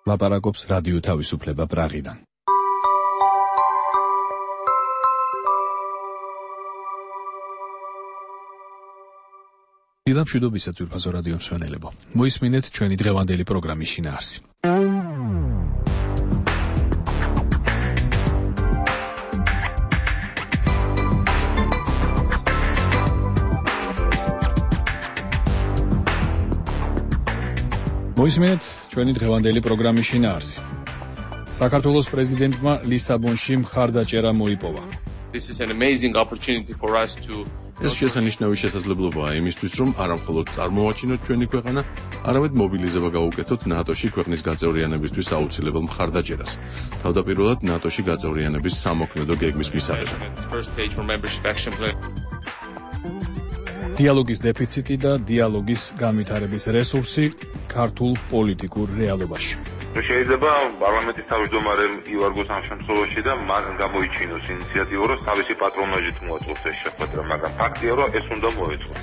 ლაპარაკობს რადიო თავისუფლება პრაღიდან. დილამშვიდობისა ძვირფასო რადიო მსმენელებო. მოისმინეთ ჩვენი დღევანდელი პროგრამის შინაარსი. მოისმინეთ ჩვენი დღევანდელი პროგრამის შინაარსი. საქართველოს პრეზიდენტმა ლისაბონში მხარდაჭერა მოიპოვა. This is an amazing opportunity for us to ეს შესანიშნავი შესაძლებლობაა იმისთვის, რომ არამხოლოდ წარმოვაჩინოთ ჩვენი ქვეყანა, არამედ მობილიზება გავუკეთოთ ნატოში ქვეყნის გაწევრიანებისთვის აუცილებელ მხარდაჭერას. თავდაპირველად ნატოში გაწევრიანების სამოქმედო გეგმის მისაღებად. დიალოგის დეფიციტი და დიალოგის განვითარების რესურსი ქართულ პოლიტიკურ რეალობაში. შეიძლება პარლამენტის თავმჯდომარემ ივარგოს ამ შემთხვევაში და მან გამოიჩინოს ინიციატივა, რომ თავისი პატრონაჟით მოაწყოს ეს შეხვედრა, მაგრამ ფაქტია, რომ ეს უნდა მოეწყოს.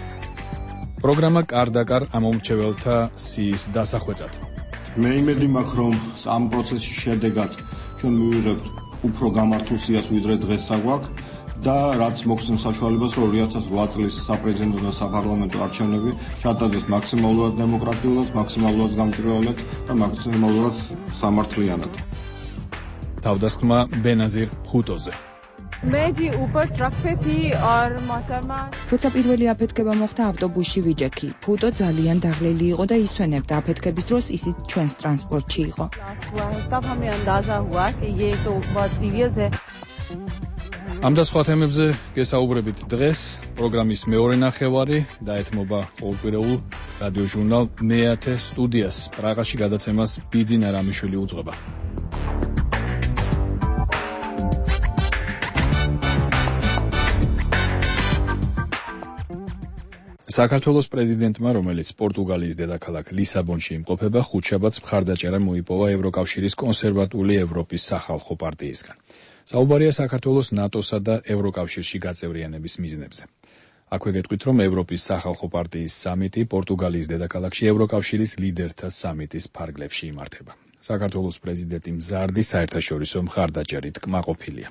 პროგრამა კარდაკარ ამომრჩეველთა სიის დასახვეწად. მე იმედი მაქვს, რომ ამ პროცესის შედეგად ჩვენ მივიღებთ უფრო გამართულ სიას, ვიდრე დღეს საგვაქვს და რაც მოგცემს საშუალებას, რომ 2008 წლის საპრეზიდენტო და საპარლამენტო არჩევნები ჩატარდეს მაქსიმალურად დემოკრატიულად, მაქსიმალურად გამჭვირვალედ და მაქსიმალურად სამართლიანად. თავდასხმა ბენაზირ ხუტოზე. მეჯი უპერ ტრაქფეთი არ მათამა. როცა პირველი აფეთქება მოხდა ავტობუსში ვიჯექი. ფუტო ძალიან დაღლილი იყო და ისვენებდა აფეთქების დროს ისიც ჩვენს ტრანსპორტში იყო. ამ და სხვა თემებზე გესაუბრებით დღეს. პროგრამის მეორე ნახევარი დაეთმობა ყოველკვირეულ რადიო ჟურნალ მეათე სტუდიას. პრაღაში გადაცემას ბიძინა რამიშვილი უძღვება. საქართველოს პრეზიდენტმა, რომელიც პორტუგალიის დედაქალაქ ლისაბონში იმყოფება, ხუთშაბათს მხარდაჭერა მოიპოვა ევროკავშირის კონსერვატული ევროპის სახალხო პარტიისგან. საუბარია საქართველოს ნატოსა და ევროკავშირში გაწევრიანების მიზნებზე. აქვე გეტყვით, რომ ევროპის სახალხო პარტიის სამიტი პორტუგალიის დედაქალაქში ევროკავშირის ლიდერთა სამიტის ფარგლებში იმართება. საქართველოს პრეზიდენტი მზარდი საერთაშორისო მხარდაჭერით კმაყოფილია.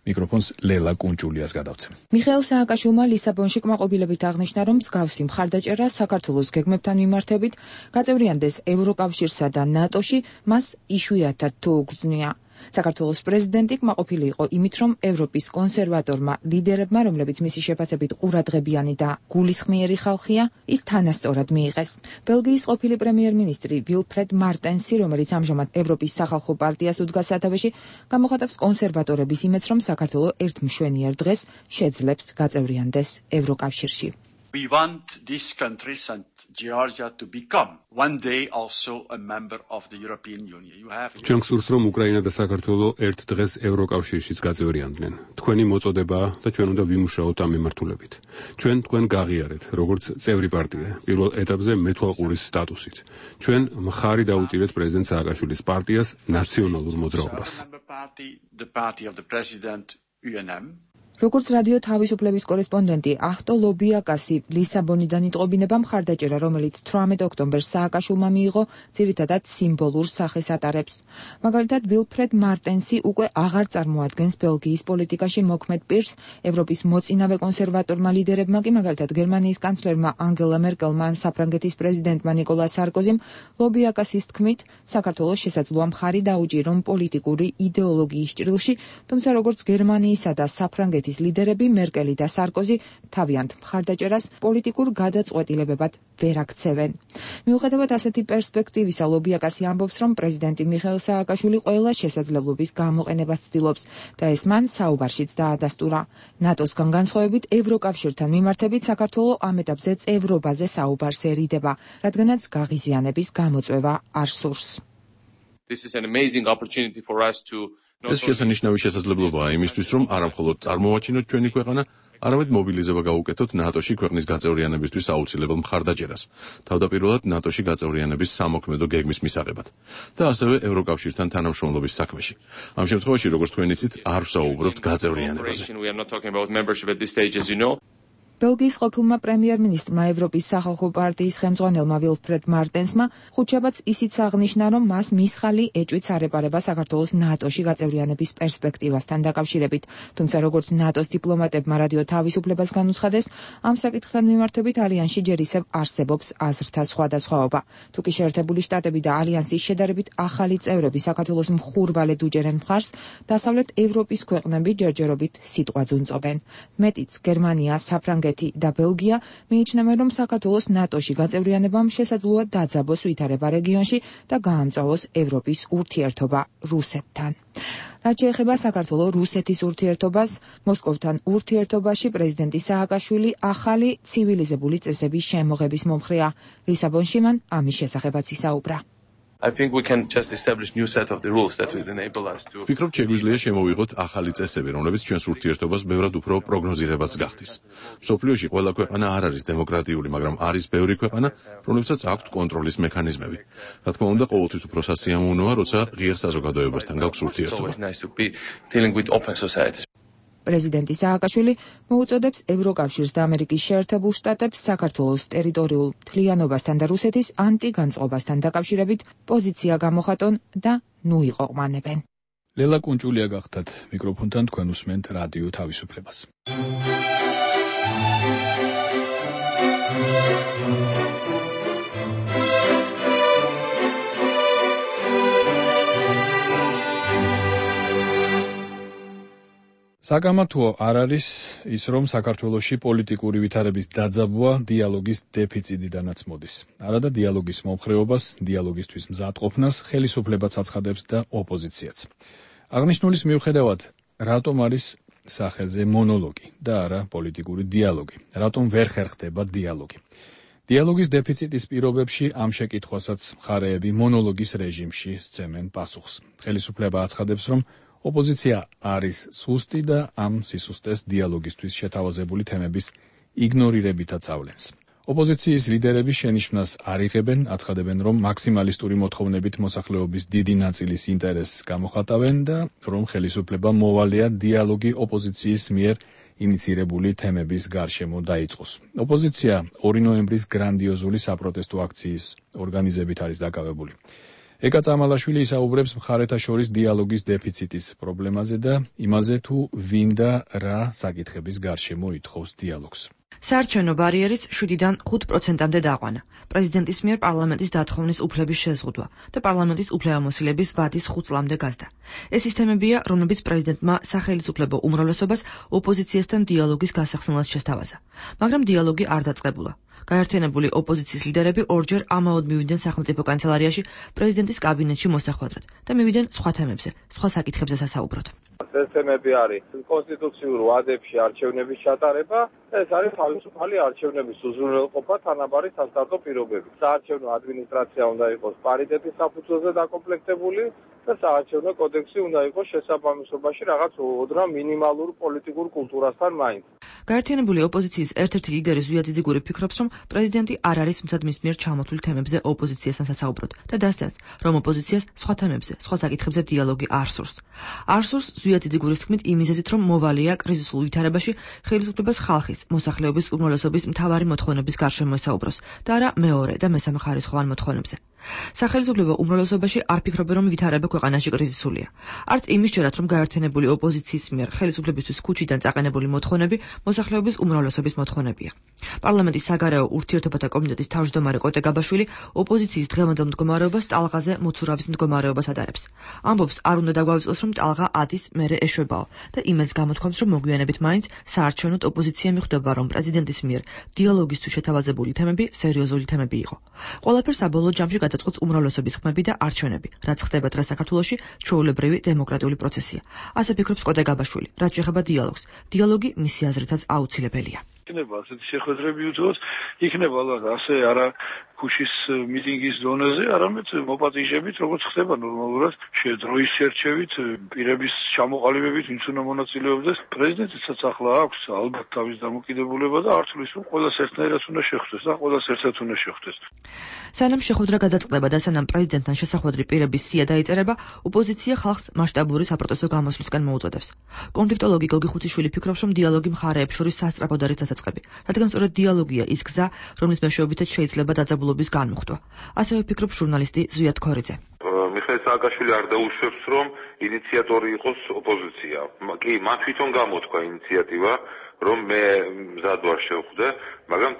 მიკროფონს ლელა კუნჭულიას გადავცემ. მიხეილ სააკაშვილმა ლისაბონში კმაყოფილებით აღნიშნა, რომ მსგავსი მხარდაჭერა საქართველოს გეგმებთან მიმართებით გაწევრიანდეს ევროკავშირსა და ნატოში მას იშვიათად თუ უგრძნია. საქართველოს პრეზიდენტი კმაყოფილი იყო იმით, რომ ევროპის კონსერვატორმა ლიდერებმა, რომლებიც მისი შეფასებით ყურადღებიანი და გულისხმიერი ხალხია, ის თანასწორად მიიღეს. ბელგიის ყოფილი პრემიერ-მინისტრი ვილფრედ მარტენსი, რომელიც ამჟამად ევროპის სახალხო პარტიას უდგას სათავეში, გამოხატავს კონსერვატორების იმედს, რომ საქართველო ერთ მშვენიერ დღეს შეძლებს გაწევრიანდეს ევროკავშირში. We want these countries and Georgia to become one day also a member of the European Union. ჩვენ გსურს, რომ უკრაინა და საქართველო ერთ დღეს ევროკავშირშიც გაწევრიანდნენ. თქვენი მოწოდებაა და ჩვენ უნდა ვიმუშაოთ ამ მიმართულებით. ჩვენ თქვენ გაღიარეთ, როგორც წევრი პარტია, პირველ ეტაპზე მეთვალყურის სტატუსით. ჩვენ მხარი დაუჭირეთ პრეზიდენტ სააკაშვილის პარტიას ნაციონალურ მოძრაობას. The party of the president UNM. როგორც რადიო თავისუფლების კორესპონდენტი ახტო ლობიაკასი ლისაბონიდან იტყობინება მხარდაჭერა, რომელიც 18 ოქტომბერს სააკაშვილმა მიიღო, ძირითადად სიმბოლურ სახეს ატარებს. მაგალითად, ვილფრედ მარტენსი უკვე აღარ წარმოადგენს ბელგიის პოლიტიკაში მოქმედ პირს, ევროპის მოწინავე კონსერვატორმა ლიდერებმა კი, მაგალითად, გერმანიის კანცლერმა ანგელა მერკელმა ან საფრანგეთის პრეზიდენტმა ნიკოლა სარკოზიმ, ლობიაკასის თქმით, საქართველოს შესაძლოა მხარი დაუჭირონ პოლიტიკური იდეოლოგიის ჭრილში, თუმცა როგორც გერმანიისა და საფრანგეთის ლიდერები მერკელი და სარკოზი თავიანთ მხარდაჭერას პოლიტიკურ გადაწყვეტილებებად ვერ აქცევენ. მიუხედავად ასეთი პერსპექტივისა, ლობიაკასი ამბობს, რომ პრეზიდენტი მიხეილ სააკაშვილი ყველა შესაძლებლობის გამოყენებას ცდილობს და ეს მან საუბარშიც დაადასტურა. ნატოსგან განსხვავებით, ევროკავშირთან მიმართებით საქართველო ამ ეტაპზე წევრობაზე საუბარს ერიდება, რადგანაც გაღიზიანების გამოწვევა არ სურს. This is an amazing opportunity for us to ეს შესანიშნავი შესაძლებლობაა იმისთვის, რომ არამხოლოდ წარმოვაჩინოთ ჩვენი ქვეყანა, არამედ მობილიზება გავუკეთოთ ნატოში ქვეყნის გაწევრიანებისთვის აუცილებელ მხარდაჭერას, თავდაპირველად ნატოში გაწევრიანების სამოქმედო გეგმის მისაღებად და ასევე ევროკავშირთან თანამშრომლობის საქმეში. ამ შემთხვევაში, როგორც თქვენ იცით, არ ვსაუბრობთ გაწევრიანებაზე. ბელგიის ყოფილმა პრემიერ-მინისტრმა ევროპის სახალხო პარტიის ხელმძღვანელმა ვილფრედ მარტენსმა ხუთშაბათს ისიც აღნიშნა, რომ მას მისხალი ეჭვით არ საქართველოს ნატოში გაწევრიანების პერსპექტივასთან დაკავშირებით. თუმცა როგორც ნატოს დიპლომატებმა რადიო თავისუფლებას განუცხადეს, ამ საკითხთან მიმართებით ალიანსში ჯერ ისევ არსებობს აზრთა სხვადასხვაობა. თუკი შეერთებული შტატები და ალიანსის შედარებით ახალი წევრები საქართველოს მხურვალედ უჭერენ მხარს, დასავლეთ ევროპის ქვეყნები ჯერჯერობით სიტყვაც უნწობენ. მეტიც, გერმანია, საფრანგეთი და ბელგია მიიჩნევენ, რომ საქართველოს ნატოში გაწევრიანებამ შესაძლოა დაძაბოს ვითარება რეგიონში და გაამწვავოს ევროპის ურთიერთობა რუსეთთან. რაც შეეხება საქართველოს-რუსეთის ურთიერთობას, მოსკოვთან ურთიერთობაში პრეზიდენტი სააკაშვილი ახალი ცივილიზებული წესების შემოღების მომხრეა. ლისაბონში მან ამის შესახებაც ისაუბრა. I think we can just establish new set of the rules that will enable us to. ვფიქრობ, შეგვიძლია შემოვიღოთ ახალი წესები, რომლებიც ჩვენს ურთიერთობას ბევრად უფრო პროგნოზირებადს გახდის. მსოფლიოში ყველა ქვეყანა არ არის დემოკრატიული, მაგრამ არის ბევრი ქვეყანა, რომლებსაც აქვთ კონტროლის მექანიზმები. რა თქმა უნდა, ყოველთვის უფრო სასიამოვნოა, როცა ღიერ საზოგადოებასთან გაქვს ურთიერთობა. პრეზიდენტი სააკაშვილი მოუწოდებს ევროკავშირს და ამერიკის შეერთებულ შტატებს საქართველოს ტერიტორიულ მთლიანობასთან და რუსეთის ანტიგანწყობასთან დაკავშირებით პოზიცია გამოხატონ და ნუ იყვანებენ. ლელა კუნჭულია გახდათ მიკროფონთან, თქვენ უსმენთ რადიო თავისუფლებას. საკამათოა არ არის ის, რომ საქართველოში პოლიტიკური ვითარების დაძაბვა დიალოგის დეფიციტიდანაც მოდის. არადა დიალოგის მომხრეობას, დიალოგისთვის მზადყოფნას ხელისუფლებაც აცხადებს და ოპოზიციაც. აღნიშნულის მიუხედავად, რატომ არის სახეზე მონოლოგი და არა პოლიტიკური დიალოგი? რატომ ვერ ხერხდება დიალოგი? დიალოგის დეფიციტის პირობებში ამ შეკითხვასაც მხარეები მონოლოგის რეჟიმში სცემენ პასუხს. ხელისუფლება აცხადებს, რომ ოპოზიცია არის სუსტი და ამ სისუსტეს დიალოგისთვის შეთავაზებული თემების იგნორირებითაც ავლენს. ოპოზიციის ლიდერები შენიშვნას არ იღებენ, აცხადებენ, რომ მაქსიმალისტური მოთხოვნებით მოსახლეობის დიდი ნაწილის ინტერესს გამოხატავენ და რომ ხელისუფლება მოვალეა დიალოგი ოპოზიციის მიერ ინიცირებული თემების გარშემო დაიწყოს. ოპოზიცია 2 ნოემბრის გრანდიოზული საპროტესტო აქციის ორგანიზებით არის დაკავებული. ეკა წამალაშვილი ისაუბრებს მხარეთა შორის დიალოგის დეფიციტის პრობლემაზე და იმაზე, თუ ვინ და რა საკითხების გარშემო ითხოვს დიალოგს. საარჩევნო ბარიერის 7-დან 5%-მდე დაყვანა. პრეზიდენტის მიერ პარლამენტის დათხოვნის უფლების შეზღუდვა და პარლამენტის უფლებამოსილების ვადის 5 წლამდე გაზდა. ეს სისტემებია, რომლებიც პრეზიდენტმა სახელმწიფო უმრავლესობას ოპოზიციასთან დიალოგის გასახსნელად შესთავაზა. მაგრამ დიალოგი არ დაწყებულა. გაერთიანებული ოპოზიციის ლიდერები ორჯერ ამაოდ მივიდნენ სახელმწიფო კანცელარიაში პრეზიდენტის კაბინეტში მოსახვედრად და მივიდნენ სხვა თემებზე, სხვა საკითხებზე სასაუბროდ. ეს თემები არის კონსტიტუციურ ვადებში არჩევნების ჩატარება, ეს არის თავისუფალი არჩევნების უზრუნველყოფა, თანაბარი სასტარტო პირობები. საარჩევნო ადმინისტრაცია უნდა იყოს პარიტეტის საფუძველზე დაკომპლექტებული და საარჩევნო კოდექსი უნდა იყოს შესაბამისობაში რაღაც ოდრა მინიმალურ პოლიტიკურ კულტურასთან მაინც. გაერთიანებული ოპოზიციის ერთ-ერთი ლიდერი ზვია ძიძიგური ფიქრობს, რომ პრეზიდენტი არ არის მცდ მის მიერ ჩამოთვლილ თემებზე ოპოზიციასთან სასაუბროდ და დასცემს, რომ ოპოზიციას სხვა თემებზე, სხვა საკითხებზე დიალოგი არ სურს. არ სურს ზვია ძიძიგურის თქმით იმ მიზეზით, რომ მოვალეა კრიზისულ ვითარებაში ხელისუფლებას ხალხის, მოსახლეობის უმრავლესობის მთავარი მოთხოვნების გარშემო ესაუბროს და არა მეორე და მესამე ხარისხოვან მოთხოვნებზე. სახელმწიფო უმრავლესობაში არ ფიქრობენ, რომ ვითარება ქვეყანაში კრიზისულია. არც იმის ჯერად, რომ გაერთიანებული ოპოზიციის მიერ ხელისუფლებისთვის ქუჩიდან წაყენებული მოთხოვნები მოსახლეობის უმრავლესობის მოთხოვნებია. პარლამენტის საგარეო ურთიერთობათა კომიტეტის თავმჯდომარე კოტე გაბაშვილი ოპოზიციის დღევანდელ მდგომარეობას ტალღაზე მოცურავის მდგომარეობას ადარებს. ამბობს, არ უნდა დაგვავიწყოს, რომ ტალღა ადის, მერე ეშვებაო და იმედს გამოთქვამს, რომ მოგვიანებით მაინც საარჩევნოდ ოპოზიცია მიხვდება, რომ პრეზიდენტის მიერ დიალოგისთვის შეთავაზებული თემები სერიოზული თემები იყო. ყველაფერს საბოლოო ჯამში გადაწყვეტს უმრავლესობის ხმები და არჩევნები, რაც ხდება დღეს საქართველოში ჩვეულებრივი დემოკრატიული პროცესია. ასე ფიქრობს კოტე გაბაშვილი, რაც შეეხება დიალოგს. დიალოგი მისი აზრითაც აუცილებელია. იქნება ასეთი შეხვედრები უძღოს, იქნება ალბათ ასე არა ქუჩის მიტინგის ზონაზე, არამედ მოპატიჟებით, როგორც ხდება ნორმალურად, დროის შერჩევით, პირების ჩამოყალიბებით, ვინც უნდა მონაწილეობდეს. პრეზიდენტსაც ახლა აქვს ალბათ თავის დამოკიდებულება და არ თulis რომ ყველას ერთნაირად უნდა შეხვდეს და ყველას ერთად უნდა შეხვდეს. სანამ შეხვედრა გადაწყდება და სანამ პრეზიდენტთან შესახვედრი პირების სია დაიწერება, ოპოზიცია ხალხს მასშტაბური საპროტესტო გამოსვლისკენ მოუწოდებს. კონფლიქტოლოგი გოგი ხუციშვილი ფიქრობს, რომ დიალოგი მხარეებს შორის სასწრაფოდ არის დასაწყები, რადგან სწორედ დიალოგია ის გზა, რომლის მეშვეობითაც შეიძლება დაძაბულობის განმუხტვა. ასევე ფიქრობს ჟურნალისტი ზვიად ქორიძე. მიხეილ სააკაშვილი არ დაუშვებს, რომ ინიციატორი იყოს ოპოზიცია. კი, მან თვითონ გამოთქვა ინიციატივა, რომ მე მზად ვარ შევხვდე, მაგრამ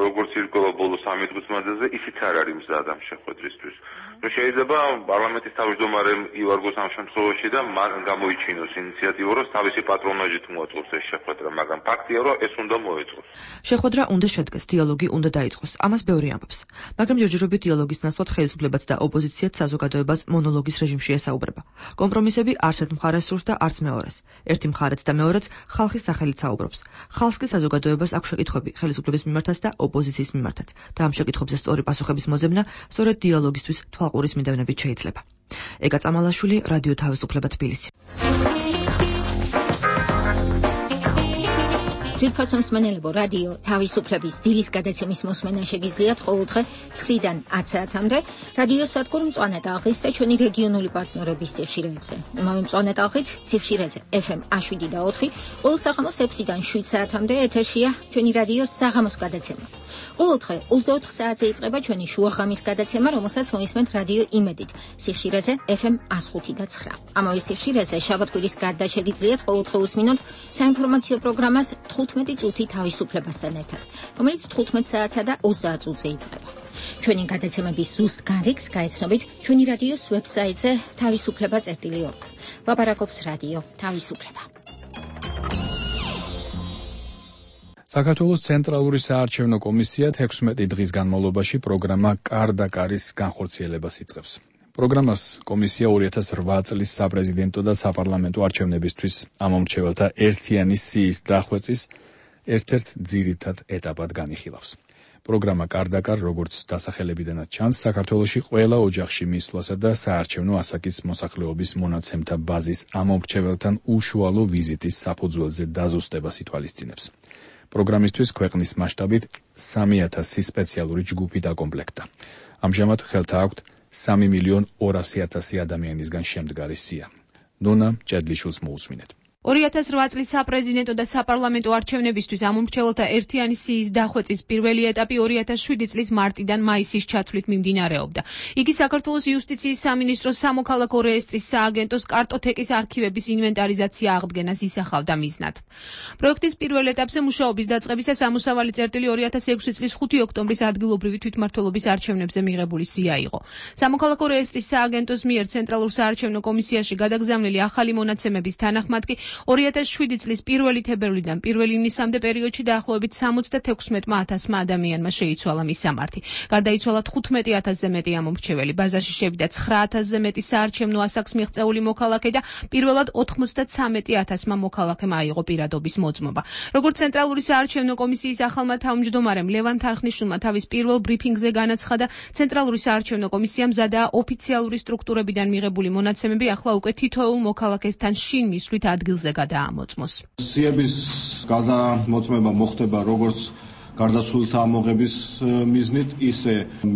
როგორც ირკვევა ბოლო 3 დღის მანძილზე, ისიც არ არის მზად ამ შეხვედრისთვის. შეიძლება პარლამენტის თავმჯდომარემ ივარგოს ამ შემთხვევაში და მან გამოიჩინოს ინიციატივა, რომ თავისი პატრონაჟით მოაწყოს ეს შეხვედრა, მაგრამ ფაქტია, რომ ეს უნდა მოეწყოს. შეხვედრა უნდა შედგეს, დიალოგი უნდა დაიწყოს. ამას ბევრი ამბობს. მაგრამ ჯერჯერობით დიალოგის ნაცვლად ხელისუფლებაც და ოპოზიციაც საზოგადოებას მონოლოგის რეჟიმში ესაუბრება. კომპრომისები არც ერთ მხარეს სურს და არც მეორეს. ერთი მხარეც და მეორეც ხალხის სახელით საუბრობს. ხალხს კი საზოგადოებას აქვს შეკითხვები ხელისუფლების მიმართაც და ოპოზიციის მიმართაც. და ამ შეკითხვებზე სწორი პასუხების მოძებნა სწორედ დიალოგისთვის თვალყურის მიდევნებით შეიძლება. ეკა წამალაშვილი, რადიო თავისუფლება თბილისი. ძვირფასო მსმენელებო, რადიო თავისუფლების დილის გადაცემის მოსმენა შეგიძლიათ ყოველდღე 9-დან 10 საათამდე რადიო სადგურ მწვანე ტალღის და ჩვენი რეგიონული პარტნიორების სიხშირეებზე. იმავე მწვანე ტალღით სიხშირეზე FM 7 და 4, ყოველ საღამოს 6-დან 7 საათამდე ეთერშია ჩვენი რადიო საღამოს გადაცემა. ყოველდღე 24 საათზე იწყება ჩვენი შუაღამის გადაცემა, რომელსაც მოისმენთ რადიო იმედით სიხშირეზე FM 105 და 9. ამავე სიხშირეზე შაბათ-კვირის გარდა შეგიძლიათ ყოველდღე უსმინოთ საინფორმაციო პროგრამას 15 წუთი თავისუფლებასთან ერთად, რომელიც 15 საათსა და 20 წუთზე იწყება. ჩვენი გადაცემების ზუსტ გარიგს გაეცნობით ჩვენი რადიოს ვებსაიტზე თავისუფლება.org. ლაპარაკობს რადიო თავისუფლება. საქართველოს ცენტრალური საარჩევნო კომისია 16 დღის განმავლობაში პროგრამა კარ და კარის განხორციელებას იწყებს. პროგრამას კომისია 2008 წლის საპრეზიდენტო და საპარლამენტო არჩევნებისთვის ამომრჩეველთა ერთიანი სიის დახვეწის ერთ-ერთ ძირითად ეტაპად განიხილავს. პროგრამა კარ და კარ, როგორც დასახელებიდანაც ჩანს, საქართველოში ყველა ოჯახში მისვლასა და საარჩევნო ასაკის მოსახლეობის მონაცემთა ბაზის ამომრჩეველთან უშუალო ვიზიტის საფუძველზე დაზუსტებას ითვალისწინებს. პროგრამისთვის ქვეყნის მასშტაბით 3000 სპეციალური ჯგუფი დაკომპლექტდა. ამჟამად ხელთა აქვთ 3.200.000 ადამიანისგან შემდგარი სია. ნონა ჭედლიშვილს მოусმინეთ. 2008 წლის საპრეზიდენტო და საპარლამენტო არჩევნებისთვის ამომრჩეველთა ერთიანი სიის დახვეწის პირველი ეტაპი 2007 წლის მარტიდან მაისის ჩათვლით მიმდინარეობდა. იგი საქართველოს იუსტიციის სამინისტროს სამოქალაქო რეესტრის სააგენტოს კარტოთეკის არქივების ინვენტარიზაცია აღდგენას ისახავდა მიზნად. პროექტის პირველ ეტაპზე მუშაობის დაწყებისას ამოსავალი წერტილი 2006 წლის 5 ოქტომბრის ადგილობრივი თვითმმართველობის არჩევნებზე მიღებული სია იყო. სამოქალაქო რეესტრის სააგენტოს მიერ ცენტრალურ საარჩევნო კომისიაში გადაგზავნილი ახალი მონაცემების თანახმად კი 2007 წლის 1 თებერვლიდან 1 ივნისამდე პერიოდში დაახლოებით 76,000 ადამიანმა შეიცვალა მისამართი. გარდაიცვალა 15,000-ზე მეტი ამომრჩეველი, ბაზარში შევიდა 9,000-ზე მეტი საარჩევნო ასაკს მიღწეული მოქალაქე და პირველად 93,000-მა მოქალაქემ აიღო პირადობის მოწმობა. როგორც ცენტრალური საარჩევნო კომისიის ახალმა თავმჯდომარემ ლევან თარხნიშვილმა თავის პირველ ბრიფინგზე განაცხადა, ცენტრალური საარჩევნო კომისიამ მზადაა ოფიციალური სტრუქტურებიდან მიღებული მონაცემები ახლა უკვე თითოეულ მოქალაქესთან შინ მისვლით ადგილზე გადაამოწმოს. სიების გადამოწმება მოხდება როგორც გარდაცვლილთა ამოღების მიზნით, ისე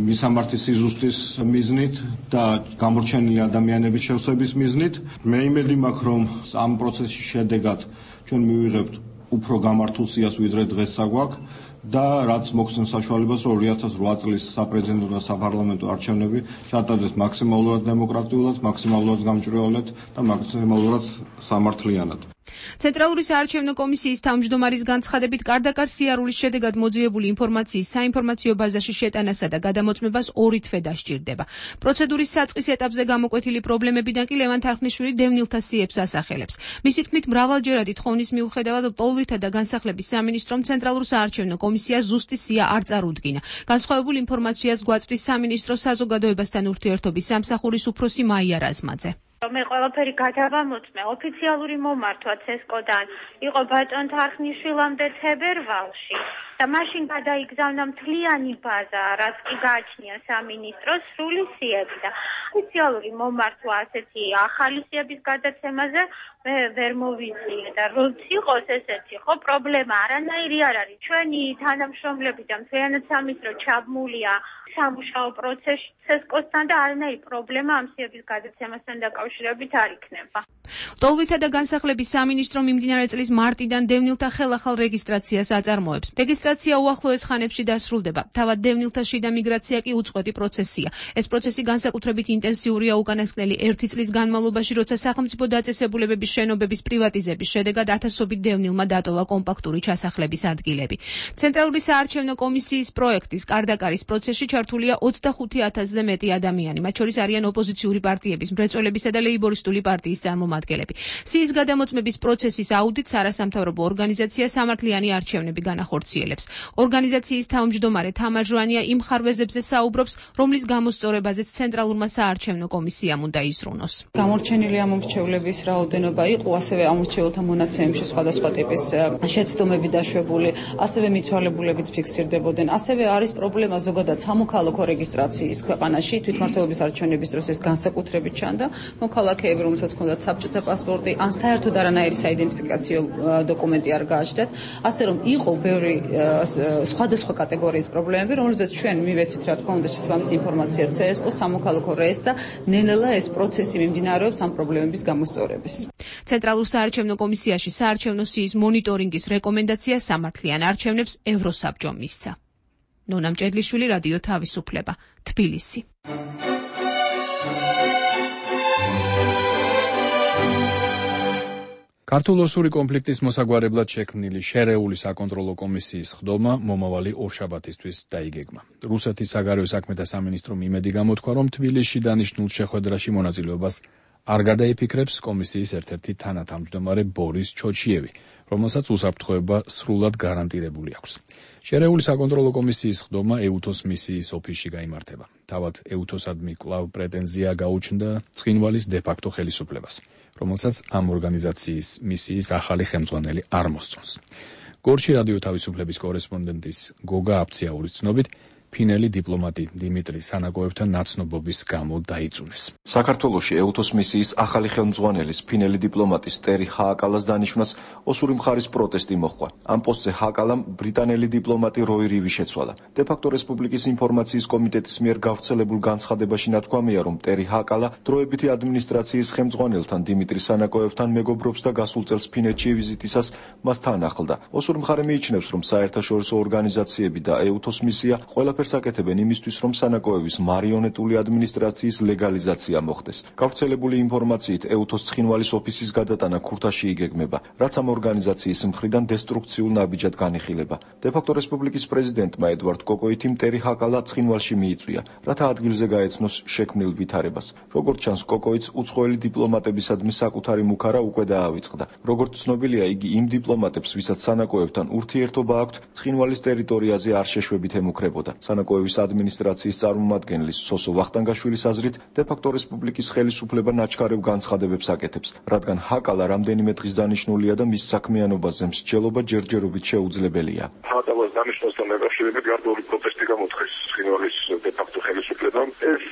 მისამართის სიზუსტის მიზნით და გამორჩენილი ადამიანების შევსების მიზნით. მე იმედი მაქვს, რომ ამ პროცესის შედეგად ჩვენ მივიღებთ უფრო გამართულ სიას, ვიდრე დღეს საგვაქვს და რაც მოგცემს საშუალებას, რომ 2008 წლის საპრეზიდენტო და საპარლამენტო არჩევნები ჩატარდეს მაქსიმალურად დემოკრატიულად, მაქსიმალურად გამჭვირვალედ და მაქსიმალურად სამართლიანად. ცენტრალური საარჩევნო კომისიის თავმჯდომარის განცხადებით, კარდაკარ სიარულის შედეგად მოძიებული ინფორმაციის საინფორმაციო ბაზაში შეტანასა და გადამოწმებას 2 თვე დასჭირდება. პროცედურის საწყის ეტაპზე გამოკვეთილი პრობლემებიდან კი ლევან თარხნიშვილი დევნილთა სიებს ასახელებს. მისი თქმით, მრავალჯერადი თხოვნის მიუხედავად ლტოლვილთა და განსახლების სამინისტრომ ცენტრალურ საარჩევნო კომისიას ზუსტი სია არ წარუდგინა. განსხვავებულ ინფორმაციას გვაწვდის სამინისტროს საზოგადოებასთან ურთიერთობის სამსახურის უფროსი მაია რაზმაძე. მე ყველაფერი გადავამოწმე ოფიციალური მომართვა CESCO-დან იყო ბატონ თარხნიშვილამდე თებერვალში და მაშინ გადაიგზავნა მთლიანი ბაზა, რაც კი გააჩნია სამინისტროს სრული სიები და ოფიციალური მომართვა ასეთი ახალი სიების გადაცემაზე მე ვერ მოვიწიე და როგორც იყოს ესეთი ხო პრობლემა არანაირი არ არის. ჩვენი თანამშრომლები და მთლიანად სამინისტრო ჩაბმულია სამუშაო პროცესში CESCO-სთან და არანაირი პრობლემა ამ სიების გადაცემასთან დაკავშირებით არ იქნება. ლტოლვილთა და განსახლების სამინისტრო მიმდინარე წლის მარტიდან დევნილთა ხელახალ რეგისტრაციას აწარმოებს. რეგისტრაცია უახლოეს ხანებში დასრულდება. თავად დევნილთა შიდა მიგრაცია კი უწყვეტი პროცესია. ეს პროცესი განსაკუთრებით ინტენსიურია უკანასკნელი 1 წლის განმავლობაში, როცა სახელმწიფო დაწესებულებების შენობების პრივატიზების შედეგად ათასობით დევნილმა დატოვა კომპაქტური ჩასახლების ადგილები. ცენტრალური საარჩევნო კომისიის პროექტის კარდაკარის პროცესში ჩართულია 25,000-ზე მეტი ადამიანი, მათ შორის არიან ოპოზიციური პარტიების, მრეწველებისა და ლეიბორისტული პარტიის წარმომადგენლები. სიის გადამოწმების პროცესის აუდიტს არასამთავრობო ორგანიზაცია სამართლიანი არჩევნები განახორციელებს. ორგანიზაციის თავმჯდომარე თამარ ჟვანია იმ ხარვეზებზე საუბრობს, რომლის გამოსწორებაზეც ცენტრალურმა საარჩევნო კომისიამ უნდა იზრუნოს. გამორჩენილი ამორჩევლების რაოდენობა იყო, ასევე ამორჩეულთა მონაცემებში სხვადასხვა ტიპის შეცდომები დაშვებული, ასევე მიცვალებულებიც ფიქსირდებოდნენ. ასევე არის პრობლემა ზოგადად სამოქალაქო რეგისტრაციის ქვეყანაში, თვითმმართველობის არჩევნების დროს ეს განსაკუთრებით ჩანდა. მოქალაქეები, რომელსაც ჰქონდათ საბჭოთა პასპორტი, ან საერთოდ არანაირი საიდენტიფიკაციო დოკუმენტი არ გააჩნდათ, ასე რომ იყო ბევრი სხვადასხვა კატეგორიის პრობლემები, რომელზეც ჩვენ მივეცით რა თქმა უნდა შესაბამისი ინფორმაცია CESCO, სამოქალაქო რეესტრს და ნელ-ნელა ეს პროცესი მიმდინარეობს ამ პრობლემების გამოსწორების. ცენტრალურ საარჩევნო კომისიაში საარჩევნო სიის მონიტორინგის რეკომენდაცია სამართლიან არჩევნებს ევროსაბჭომ მისცა. ნონა მჭედლიშვილი, რადიო თავისუფლება, თბილისი. ქართულ-ოსური კონფლიქტის მოსაგვარებლად შექმნილი შერეული საკონტროლო კომისიის ხდომა მომავალი ორშაბათისთვის დაიგეგმა. რუსეთის საგარეო საქმეთა სამინისტრომ იმედი გამოთქვა, რომ თბილისში დანიშნულ შეხვედრაში მონაწილეობას არ გადაიფიქრებს კომისიის ერთ-ერთი თანათავმჯდომარე ბორის ჩოჩიევი, რომელსაც უსაფრთხოება სრულად გარანტირებული აქვს. შერეული საკონტროლო კომისიის ხდომა ეუთოს მისიის ოფისში გაიმართება. თავად ეუთოსადმი კვლავ პრეტენზია გაუჩნდა ცხინვალის დე-ფაქტო ხელისუფლებას, რომელსაც ამ ორგანიზაციის მისიის ახალი ხელმძღვანელი არ მოსწონს. გორში რადიო თავისუფლების კორესპონდენტის გოგა აფციაურის ცნობით, ფინელი დიპლომატი დიმიტრი სანაკოევთან ნაცნობობის გამო დაიწუნეს. საქართველოში ეუთოს მისიის ახალი ხელმძღვანელის ფინელი დიპლომატის ტერი ჰააკალას დანიშვნას ოსური მხარის პროტესტი მოჰყვა. ამ პოსტზე ჰააკალამ ბრიტანელი დიპლომატი როი რივი შეცვალა. დე-ფაქტო რესპუბლიკის ინფორმაციის კომიტეტის მიერ გავრცელებულ განცხადებაში ნათქვამია, რომ ტერი ჰააკალა დროებითი ადმინისტრაციის ხელმძღვანელთან დიმიტრი სანაკოევთან მეგობრობს და გასულ წელს ფინეთში ვიზიტისას მას თან ახლდა. ოსური მხარე მიიჩნევს, რომ საერთაშორისო ორგანიზაციები და ეუთოს მისია ყველაფერს აკეთებენ იმისთვის, რომ სანაკოევის მარიონეტული ადმინისტრაციის ლეგალიზაცია მოხდეს. გავრცელებული ინფორმაციით ეუთოს ცხინვალის ოფისის გადატანა ქურთაში იგეგმება, რაც ამ ორგანიზაციის მხრიდან დესტრუქციულ ნაბიჯად განიხილება. დე-ფაქტო რესპუბლიკის პრეზიდენტმა ედვარდ კოკოითიმ ტერი ჰააკალა ცხინვალში მიიწვია, რათა ადგილზე გაეცნოს შექმნილ ვითარებას. როგორც ჩანს, კოკოიც უცხოელი დიპლომატებისადმი საკუთარი მუქარა უკვე დაავიწყდა. როგორც ცნობილია, იგი იმ დიპლომატებს, ვისაც სანაკოევთან ურთიერთობა აქვთ, ცხინვალის ტერიტორიაზე არ შეშვებით ემუქრებოდა. სანაკოევის ადმინისტრაციის წარმომადგენლის სოსო ვახტანგაშვილის აზრით, დე-ფაქტო რესპუბლიკის ხელისუფლება ნაჩქარევ განცხადებებს აკეთებს, რადგან ჰააკალა რამდენიმე დღის დანიშნულია და მის საქმიანობაზე მსჯელობა ჯერჯერობით შეუძლებელია. ჰააკალას დანიშნვასთან დაკავშირებით გარკვეული პროტესტი გამოთხეს ცხინვალის დე-ფაქტო ხელისუფლებამ. ეს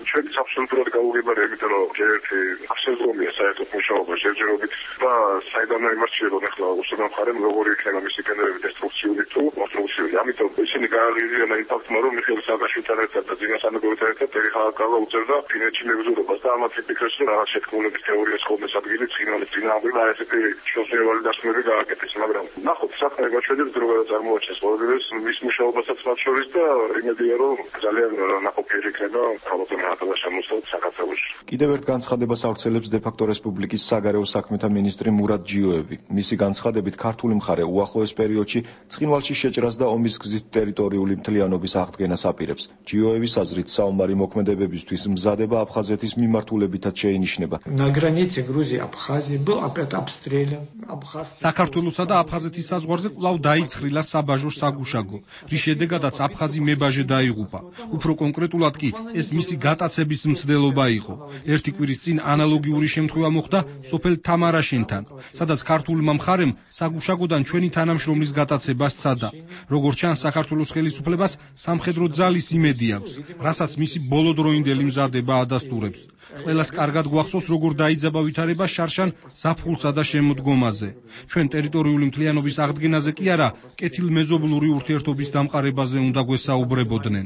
ჩვენთვის აბსოლუტურად გაუგებარია, იმიტომ რომ ერთი აღსაზრდომია საერთოდ მუშაობა ჯერჯერობით და საიდან იმარჩიებოდა ახლა უსულო მხარემ როგორი იქნება მისი გენერები დესტრუქციული თუ კონსტრუქციული. ამიტომ ისინი გააღიზიანა იმ ფაქტმა, რომ მიხეილ სააკაშვილთან ერთად და ძინა სანაკოევთან ერთად ტერი ჰააკალა უწევდა ფინეთში მებრძოლობას და ამათ იფიქრეს, რომ რაღაც შეთქმულების თეორიას ხოლმეს ადგილი ცხინვალის წინააღმდეგ და ესეთი შეხებადი დასმები გააკეთეს, მაგრამ ნახოთ საქმე გაჩვენებს დრო გადაწარმოაჩენს ყოველდღეს მის მუშაობასაც მათ შორის და იმედია, რომ ძალიან ნაყოფიერი იქნება ალბათ ჰააკალას შემოსვლით საქართველოში. კიდევ ერთ განცხადებას ავრცელებს დე-ფაქტო რესპუბლიკის საგარეო საქმეთა მინისტრი მურად ჯიოევი. მისი განცხადებით, ქართული მხარე უახლოეს პერიოდში ცხინვალში შეჭრას და ომის გზით ტერიტორიული მთლიანობის აღდგენას აპირებს. ჯიოევის აზრით, საომარი მოქმედებებისთვის მზადება აფხაზეთის მიმართულებითაც შეინიშნება. საქართველოსა და აფხაზეთის საზღვარზე კვლავ დაიცხრილა საბაჟო საგუშაგო, რის შედეგადაც აფხაზი მებაჟე დაიღუპა. უფრო კონკრეტულად კი ეს მისი გატაცების მცდელობა იყო. ერთი კვირის წინ ანალოგიური შემთხვევა მოხდა სოფელ თამარაშენთან, სადაც ქართულმა მხარემ საგუშაგოდან ჩვენი თანამშრომლის გატაცება სცადა. როგორც ჩანს, საქართველოს ხელისუფლებას სამხედრო ძალის იმედი აქვს, რასაც მისი ბოლოდროინდელი მზადება ადასტურებს. ყველას კარგად გვახსოვს, როგორ დაიძაბა ვითარება შარშან ზაფხულსა და შემოდგომაზე. ჩვენ ტერიტორიული მთლიანობის აღდგენაზე კი არა, კეთილმეზობლური ურთიერთობის დამყარებაზე უნდა გვესაუბრებოდნენ.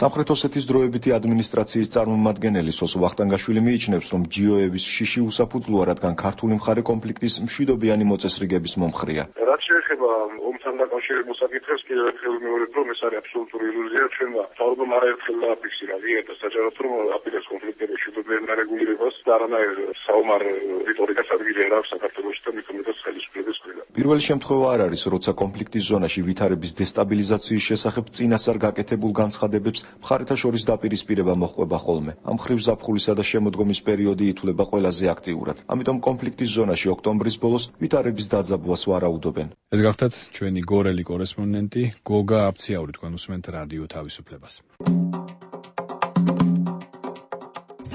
სამხრეთ ოსეთის დროებითი ადმინისტრაციის წარმომადგენელი სოს ვახტანგაშვილი მიიჩნევს, რომ ჯიოების შიში უსაფუძვლოა, რადგან ქართული მხარე კონფლიქტის მშვიდობიანი მოწესრიგების მომხრეა. რაც შეეხება ომთან დაკავშირებულ საკითხებს, კიდევ ერთხელ ვიმეორებ, რომ ეს არის აბსოლუტური ილუზია. ჩვენმა მთავრობამ არაერთხელ დააფიქსირა ვიღება საჯაროდ, რომ აპირებს კონფლიქტების მშვიდობიან დარეგულირებას და არანაირ საომარ რიტორიკას ადგილი არ აქვს საქართველოში და მით უმეტეს ხელისუფლების მხრიდან. პირველი შემთხვევა არ არის, როცა კონფლიქტის ზონაში ვითარების დესტაბილიზაციის შესახებ წინასწარ გაკეთებულ განცხადებებს მხარეთა შორის დაპირისპირება მოჰყვება ხოლმე. ამ მხრივ ზაფხულისა და შემოდგომის პერიოდი ითვლება ყველაზე აქტიურად. ამიტომ კონფლიქტის ზონაში ოქტომბრის ბოლოს ვითარების დაძაბვას ვარაუდობენ. ეს გახლდათ ჩვენი გორელი კორესპონდენტი გოგა აფციაური, თქვენ უსმენთ რადიო თავისუფლებას.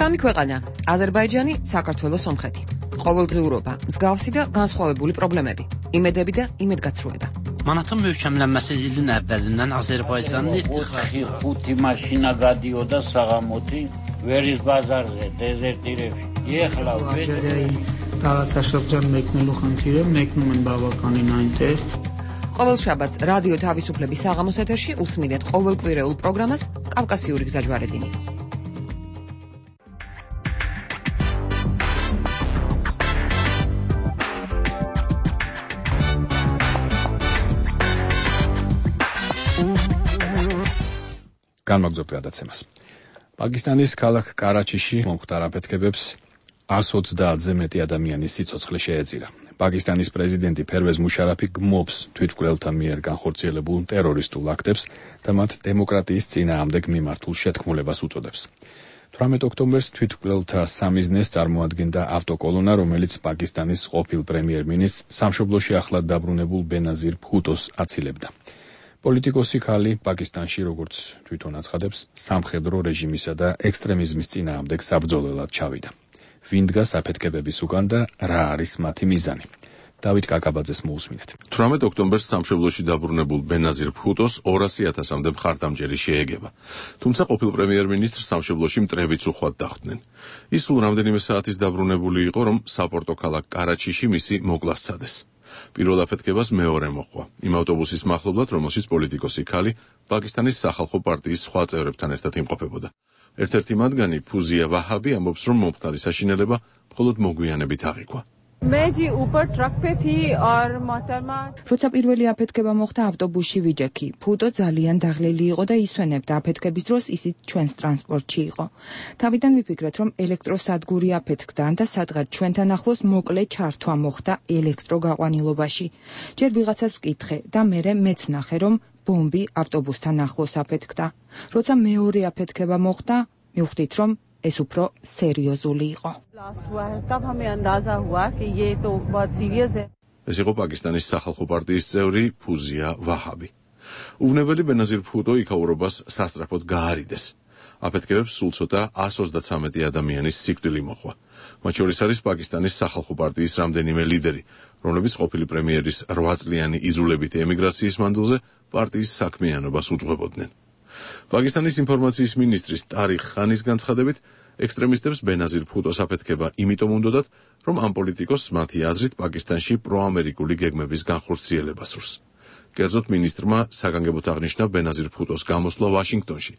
სამი ქვეყანა: აზერბაიჯანი, საქართველო, სომხეთი. ყოველდღიურობა, მსგავსი და განსხვავებული პრობლემები, იმედები და იმედგაცრუება. Manatın möhkəmlənməsi ilin əvvəlindən Azərbaycanın ixtixası 5 maşına qadıyorda sağamoti veriz bazarზე dezertirებში. Ეხლა რაღაცა შევჭამ მეკნելու ხანთირე, მეკնում են բավականին այնտեղ. ყოველ შაბათს რადიო თავისუფლების საღამოს ეთერში უსმინეთ ყოველკვირეულ პროგრამას კავკასიური გზაჯვარედინი. განმაგზავნებთ გადაცემას. პაკისტანის ქალაქ კარაჩიში მომხდარ აფეთქებებს 130-ზე მეტი ადამიანის სიცოცხლე შეეწირა. პაკისტანის პრეზიდენტი ფერვეზ მუშარაფი გმობს თვითმკვლელთა მიერ განხორციელებულ ტერორისტულ აქტებს და მათ დემოკრატიის წინააღმდეგ მიმართულ შეთქმულებას უწოდებს. 18 ოქტომბერს თვითმკვლელთა სამიზნეს წარმოადგენდა ავტოკოლონა, რომელიც პაკისტანის ყოფილ პრემიერ-მინისტრს სამშობლოში ახლად დაბრუნებულ ბენაზირ ბჰუტოს აცილებდა. პოლიტიკოსი ქალი პაკისტანში, როგორც თვითონ აცხადებს, სამხედრო რეჟიმისა და ექსტრემიზმის წინააღმდეგ საბრძოლველად ჩავიდა. ვინ დგას აფეთქებების უკან და რა არის მათი მიზანი? დავით კაკაბაძეს მოусმინეთ. 18 ოქტომბერს სამშობლოში დაბრუნებულ ბენაზირ ბჰუტოს 200,000-მდე მხარდამჭერი შეეგება. თუმცა ყოფილ პრემიერ-მინისტრს სამშობლოში მტრებით უხვად დახვდნენ. ის სულ რამდენიმე საათის დაბრუნებული იყო, რომ საპორტო ქალაქ კარაჩიში მისი მოკლა სცადეს. პირველ აფეთქებას მეორე მოჰყვა. იმ ავტობუსის მახლობლად, რომელშიც პოლიტიკოსი ქალი პაკისტანის სახალხო პარტიის სხვა წევრებთან ერთად იმყოფებოდა. ერთ-ერთი მათგანი ფუზია ვაჰაბი ამბობს, რომ მომხდარი საშინელება მხოლოდ მოგვიანებით აღიქვა. როცა პირველი აფეთქება მოხდა ავტობუსში ვიჯექი. ფუტო ძალიან დაღლილი იყო და ისვენებდა აფეთქების დროს ისიც ჩვენს ტრანსპორტში იყო. თავიდან ვიფიქრეთ, რომ ელექტროსადგური აფეთქდა და სადღაც ჩვენთან ახლოს მოკლე ჩართვა მოხდა ელექტროგაყვანილობაში. ჯერ ვიღაცას ვკითხე და მერე მეც ვნახე, რომ ბომბი ავტობუსთან ახლოს აფეთქდა. როცა მეორე აფეთქება მოხდა, მივხვდით, რომ ეს უფრო სერიოზული იყო. ეს იყო პაკისტანის სახალხო პარტიის წევრი ფუზია ვაჰაბი. უვნებელი ბენაზირ ბჰუტო იქაურობას სასწრაფოდ გაარიდეს. აფეთქებებს სულ ცოტა 133 ადამიანის სიკვდილი მოჰყვა. მათ შორის არის პაკისტანის სახალხო პარტიის რამდენიმე ლიდერი, რომლებიც ყოფილი პრემიერის 8 წლიანი იზრულებითი ემიგრაციის მანძილზე პარტიის საქმიანობას უძღვებოდნენ. პაკისტანის ინფორმაციის მინისტრის ტარიხ ხანის განცხადებით, ექსტრემისტებს ბენაზირ ბჰუტოს აფეთქება იმიტომ უნდოდათ, რომ ამ პოლიტიკოსს მათი აზრით პაკისტანში პროამერიკული გეგმების განხორციელება სურს. კერძოდ მინისტრმა საგანგებოდ აღნიშნა ბენაზირ ბჰუტოს გამოსვლა ვაშინგტონში,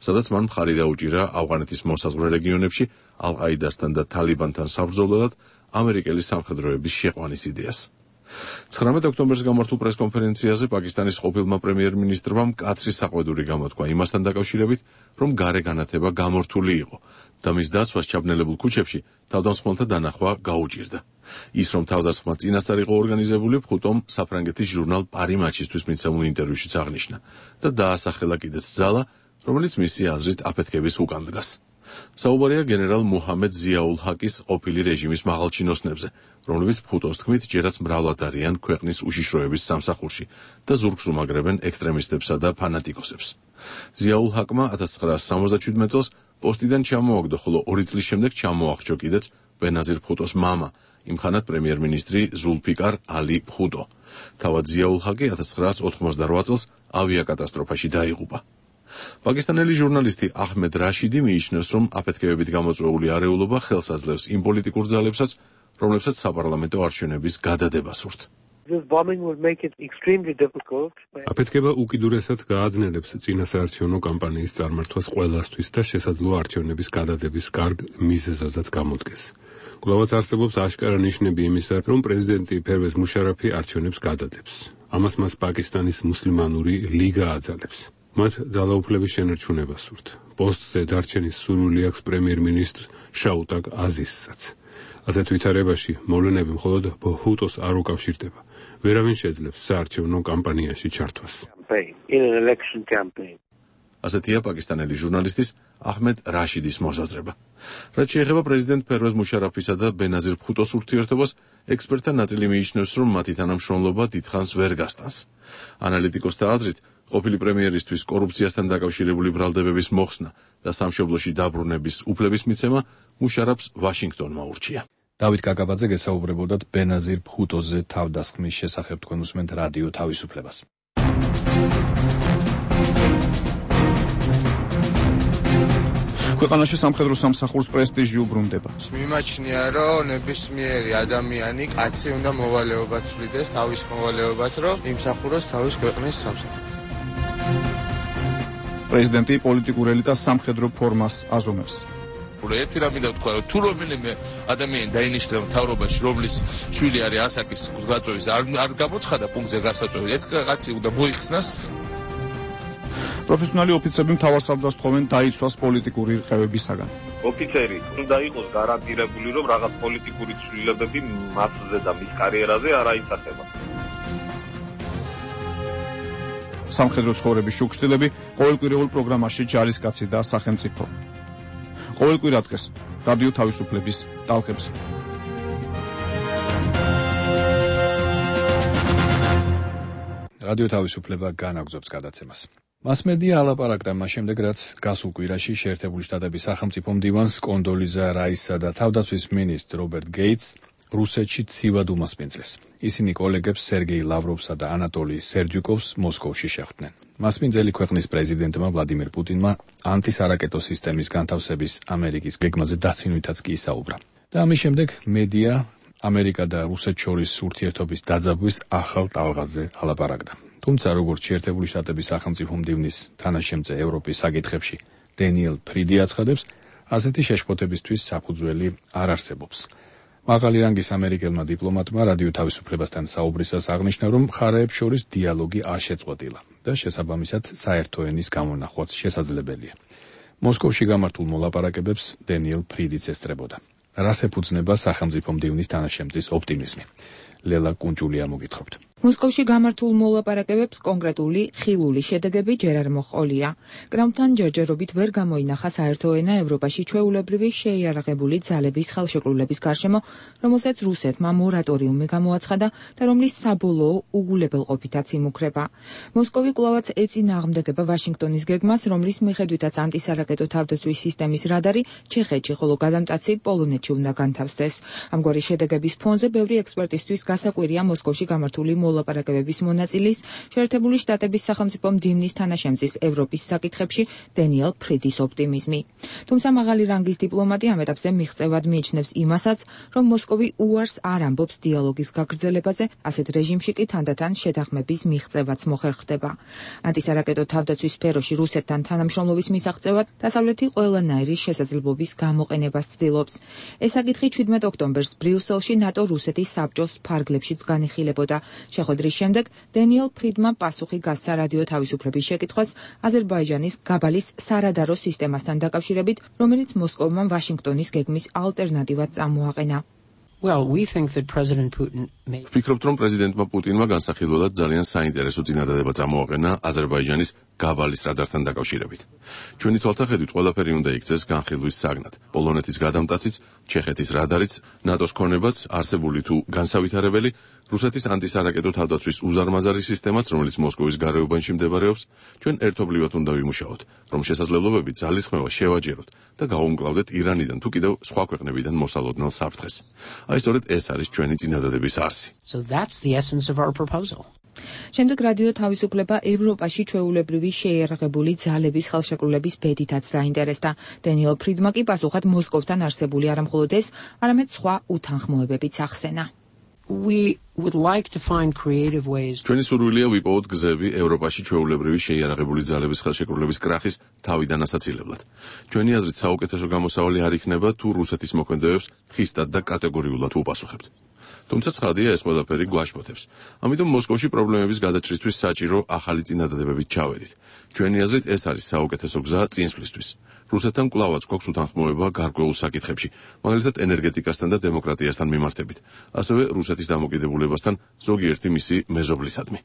სადაც მან მხარი დაუჭირა ავღანეთის მოსაზღვრე რეგიონებში ალ-ყაიდასთან და თალიბანთან საბრძოლველად ამერიკელი სამხედროების შეყვანის იდეას. 19 ოქტომბერს გამართულ პრესკონფერენციაზე პაკისტანის ყოფილმა პრემიერ-მინისტრმა მკაცრი საყვედური გამოთქვა იმასთან დაკავშირებით, რომ გარე განათება გამორთული იყო და მის დაცვას ჩაბნელებულ ქუჩებში თავდამსხმელთა დანახვა გაუჭირდა. ის, რომ თავდასხმა წინასწარ იყო ორგანიზებული, ბჰუტომ საფრანგეთის ჟურნალ პარი მაჩისთვის მიცემულ ინტერვიუშიც აღნიშნა და დაასახელა კიდეც ძალა, რომელიც მისი აზრით აფეთქების უკან დგას. საუბარია გენერალ მუჰამედ ზიაულ ჰაკის ყოფილი რეჟიმის მაღალჩინოსნებზე, რომლებიც ფუტოს თქმით ჯერაც მრავლად არიან ქვეყნის უშიშროების სამსახურში და ზურგს უმაგრებენ ექსტრემისტებსა და ფანატიკოსებს. ზიაულ ჰაკმა 1977 წელს პოსტიდან ჩამოაგდო, ხოლო 2 წლის შემდეგ ჩამოახრჩო კიდეც ბენაზირ ფუტოს მამა, იმხანად პრემიერ-მინისტრი ზულფიკარ ალი ფუტო. თავად ზიაულ ჰაკი 1988 წელს ავიაკატასტროფაში დაიღუპა. პაკისტანელი ჟურნალისტი აჰმედ რაშიდი მიიჩნევს, რომ აფეთქებებით გამოწვეული არეულობა ხელს აძლევს იმ პოლიტიკურ ძალებსაც, რომლებსაც საპარლამენტო არჩევნების გადადება სურთ. აფეთქება უკიდურესად გააძნელებს წინასაარჩევნო კამპანიის წარმართვას ყველასთვის და შესაძლოა არჩევნების გადადების კარგ მიზეზადაც გამოდგეს. კვლავაც არსებობს აშკარა ნიშნები იმისა, რომ პრეზიდენტი ფერვეზ მუშარაფი არჩევნებს გადადებს. ამას მას პაკისტანის მუსლიმანური ლიგა აძალებს. მათ ძალაუფლების შენარჩუნება სურთ. პოსტზე დარჩენის სურვილი აქვს პრემიერ-მინისტრ შაუტაკ აზიზსაც. ასეთ ვითარებაში მოვლენები მხოლოდ ბჰუტოს არ უკავშირდება. ვერავინ შეძლებს საარჩევნო კამპანიაში ჩართვას. ასეთია პაკისტანელი ჟურნალისტის აჰმედ რაშიდის მოსაზრება. რაც შეეხება პრეზიდენტ ფერვეზ მუშარაფისა და ბენაზირ ფუტოს ურთიერთობას, ექსპერტთა ნაწილი მიიჩნევს, რომ მათი თანამშრომლობა დიდხანს ვერ გასტანს. ანალიტიკოსთა აზრით, ყოფილი პრემიერისთვის კორუფციასთან დაკავშირებული ბრალდებების მოხსნა და სამშობლოში დაბრუნების უფლების მიცემა მუშარაფს ვაშინგტონმა ურჩია. დავით კაკაბაძე გესაუბრებოდათ ბენაზირ ფუტოზე თავდასხმის შესახებ, თქვენ უსმენთ რადიო თავისუფლებას. ქვეყანაში სამხედრო სამსახურს პრესტიჟი უბრუნდება. მიმაჩნია, რომ ნებისმიერი ადამიანი, კაცი უნდა მოვალეობა ცვლიდეს, თავის მოვალეობად, რომ იმსახუროს თავის ქვეყნის სამსახურს. პრეზიდენტი პოლიტიკურ ელიტას სამხედრო ფორმას აზომებს. ერთი რამე და თქვა, თუ რომელიმე ადამიანი დაინიშნა მთავრობაში, რომლის შვილი არის ასაკის გაწევის, არ გამოცხადა პუნქტზე გასაწევი, ეს კაცი უნდა მოიხსნას. პროფესიონალი ოფიცრები მთავარსარდალს თხოვენ დაიცვას პოლიტიკური რყევებისაგან. ოფიცერი უნდა იყოს გარანტირებული, რომ რაღაც პოლიტიკური ცვლილებები მასზე და მის კარიერაზე არ აისახება. სამხედრო ცხოვრების შუქშტილები ყოველკვირეულ პროგრამაში ჯარისკაცი და სახელმწიფო. ყოველკვირა დღეს რადიო თავისუფლების ტალღებზე. რადიო თავისუფლება განაგზობს გადაცემას. მასმედია ალაპარაკდა მას შემდეგ, რაც გასულ კვირაში შეერთებული შტატების სახელმწიფო მდივანს კონდოლიზა რაისსა და თავდაცვის მინისტრ რობერტ გეიტს რუსეთში ცივად უმასპინძლეს. ისინი კოლეგებს სერგეი ლავროვსა და ანატოლი სერდიუკოვს მოსკოვში შეხვდნენ. მასპინძელი ქვეყნის პრეზიდენტმა ვლადიმერ პუტინმა ანტისარაკეტო სისტემის განთავსების ამერიკის გეგმაზე დაცინვითაც კი ისაუბრა. და ამის შემდეგ მედია ამერიკა და რუსეთ შორის ურთიერთობის დაძაბვის ახალ ტალღაზე ალაპარაკდა. თუმცა როგორც შეერთებული შტატების სახელმწიფო მდივნის თანაშემწე ევროპის საკითხებში დენიელ ფრიდი აცხადებს, ასეთი შეშფოთებისთვის საფუძველი არ არსებობს. მაღალი რანგის ამერიკელმა დიპლომატმა რადიო თავისუფლებასთან საუბრისას აღნიშნა, რომ მხარეებს შორის დიალოგი არ შეწყვეტილა და შესაბამისად საერთო ენის გამონახვაც შესაძლებელია. მოსკოვში გამართულ მოლაპარაკებებს დენიელ ფრიდიც ესწრებოდა. რას ეფუძნება სახელმწიფო მდივნის თანაშემწის ოპტიმიზმი? ლელა კუნჭულია მოგითხრობთ. მოსკოვში გამართულ მოლაპარაკებებს კონკრეტული ხილული შედეგები ჯერ არ მოჰყოლია. კრამფთან ჯერჯერობით ვერ გამოინახა საერთო ენა ევროპაში ჩვეულებრივი შეიარაღებული ძალების ხელშეკრულების გარშემო, რომელსაც რუსეთმა მორატორიუმი გამოაცხადა და რომლის საბოლოო უგულებელყოფითაც იმუქრება. მოსკოვი კვლავაც ეწინააღმდეგება ვაშინგტონის გეგმას, რომლის მიხედვითაც ანტისარაკეტო თავდაცვის სისტემის რადარი ჩეხეთში, ხოლო გადამტაცი პოლონეთში უნდა განთავსდეს. ამგვარი შედეგების ფონზე ბევრი ექსპერტისთვის გასაკვირია მოსკოვში გამართული მოლაპარაკებების მონაწილის შეერთებული შტატების სახელმწიფო მდივნის თანაშემწის ევროპის საკითხებში დენიელ ფრიდის ოპტიმიზმი. თუმცა მაღალი რანგის დიპლომატი ამ ეტაპზე მიღწევად მიიჩნევს იმასაც, რომ მოსკოვი უარს არ ამბობს დიალოგის გაგრძელებაზე, ასეთ რეჟიმში კი თანდათან შეთანხმების მიღწევაც მოხერხდება. ანტისარაკეტო თავდაცვის სფეროში რუსეთთან თანამშრომლობის მისაღწევად დასავლეთი ყველანაირი შესაძლებლობის გამოყენებას ცდილობს. ეს საკითხი 17 ოქტომბერს ბრიუსელში ნატო-რუსეთის საბჭოს ფარგლებშიც განიხილებოდა. შეხვედრის შემდეგ დენიელ ფრიდმა პასუხი გასცა რადიო თავისუფლების შეკითხვას აზერბაიჯანის გაბალის სარადარო სისტემასთან დაკავშირებით, რომელიც მოსკოვმა ვაშინგტონის გეგმის ალტერნატივად წამოაყენა. ვფიქრობთ, რომ პრეზიდენტმა პუტინმა განსახილველად ძალიან საინტერესო წინადადება წამოაყენა აზერბაიჯანის გაბალის რადართან დაკავშირებით. ჩვენი თვალთახედვით ყველაფერი უნდა იქცეს განხილვის საგნად. პოლონეთის გადამტაციც, ჩეხეთის რადარიც, ნატოს ქონებაც, არსებული თუ განსავითარებელი, რუსეთის ანტისარაკეტო თავდაცვის უზარმაზარი სისტემაც, რომელიც მოსკოვის გარეუბანში მდებარეობს, ჩვენ ერთობლივად უნდა ვიმუშაოთ, რომ შესაძლებლობები ძალისხმევა შევაჯეროთ და გავუმკლავდეთ ირანიდან თუ კიდევ სხვა ქვეყნებიდან მოსალოდნელ საფრთხეს. აი სწორედ ეს არის ჩვენი წინადადების არსი. შემდეგ რადიო თავისუფლება ევროპაში ჩვეულებრივი შეიარაღებული ძალების ხელშეკრულების ბედითაც დაინტერესდა. დენიელ ფრიდმა კი პასუხად მოსკოვთან არსებული არა მხოლოდ ეს, არამედ სხვა უთანხმოებებიც ახსენა. ჩვენი სურვილია ვიპოვოთ გზები ევროპაში ჩვეულებრივი შეიარაღებული ძალების ხელშეკრულების კრახის თავიდან ასაცილებლად. ჩვენი აზრით საუკეთესო გამოსავალი არ იქნება თუ რუსეთის მოქმედებებს ხისტად და კატეგორიულად უპასუხებთ. თუმცა ცხადია ეს ყველაფერი გვაშფოთებს. ამიტომ მოსკოვში პრობლემების გადაჭრისთვის საჭირო ახალი წინადადებებით ჩავედით. ჩვენი აზრით ეს არის საუკეთესო გზა წინსვლისთვის. რუსეთთან კვლავაც გვაქვს უთანხმოება გარკვეულ საკითხებში, მაგალითად ენერგეტიკასთან და დემოკრატიასთან მიმართებით, ასევე რუსეთის დამოკიდებულებასთან ზოგიერთი მისი მეზობლისადმი.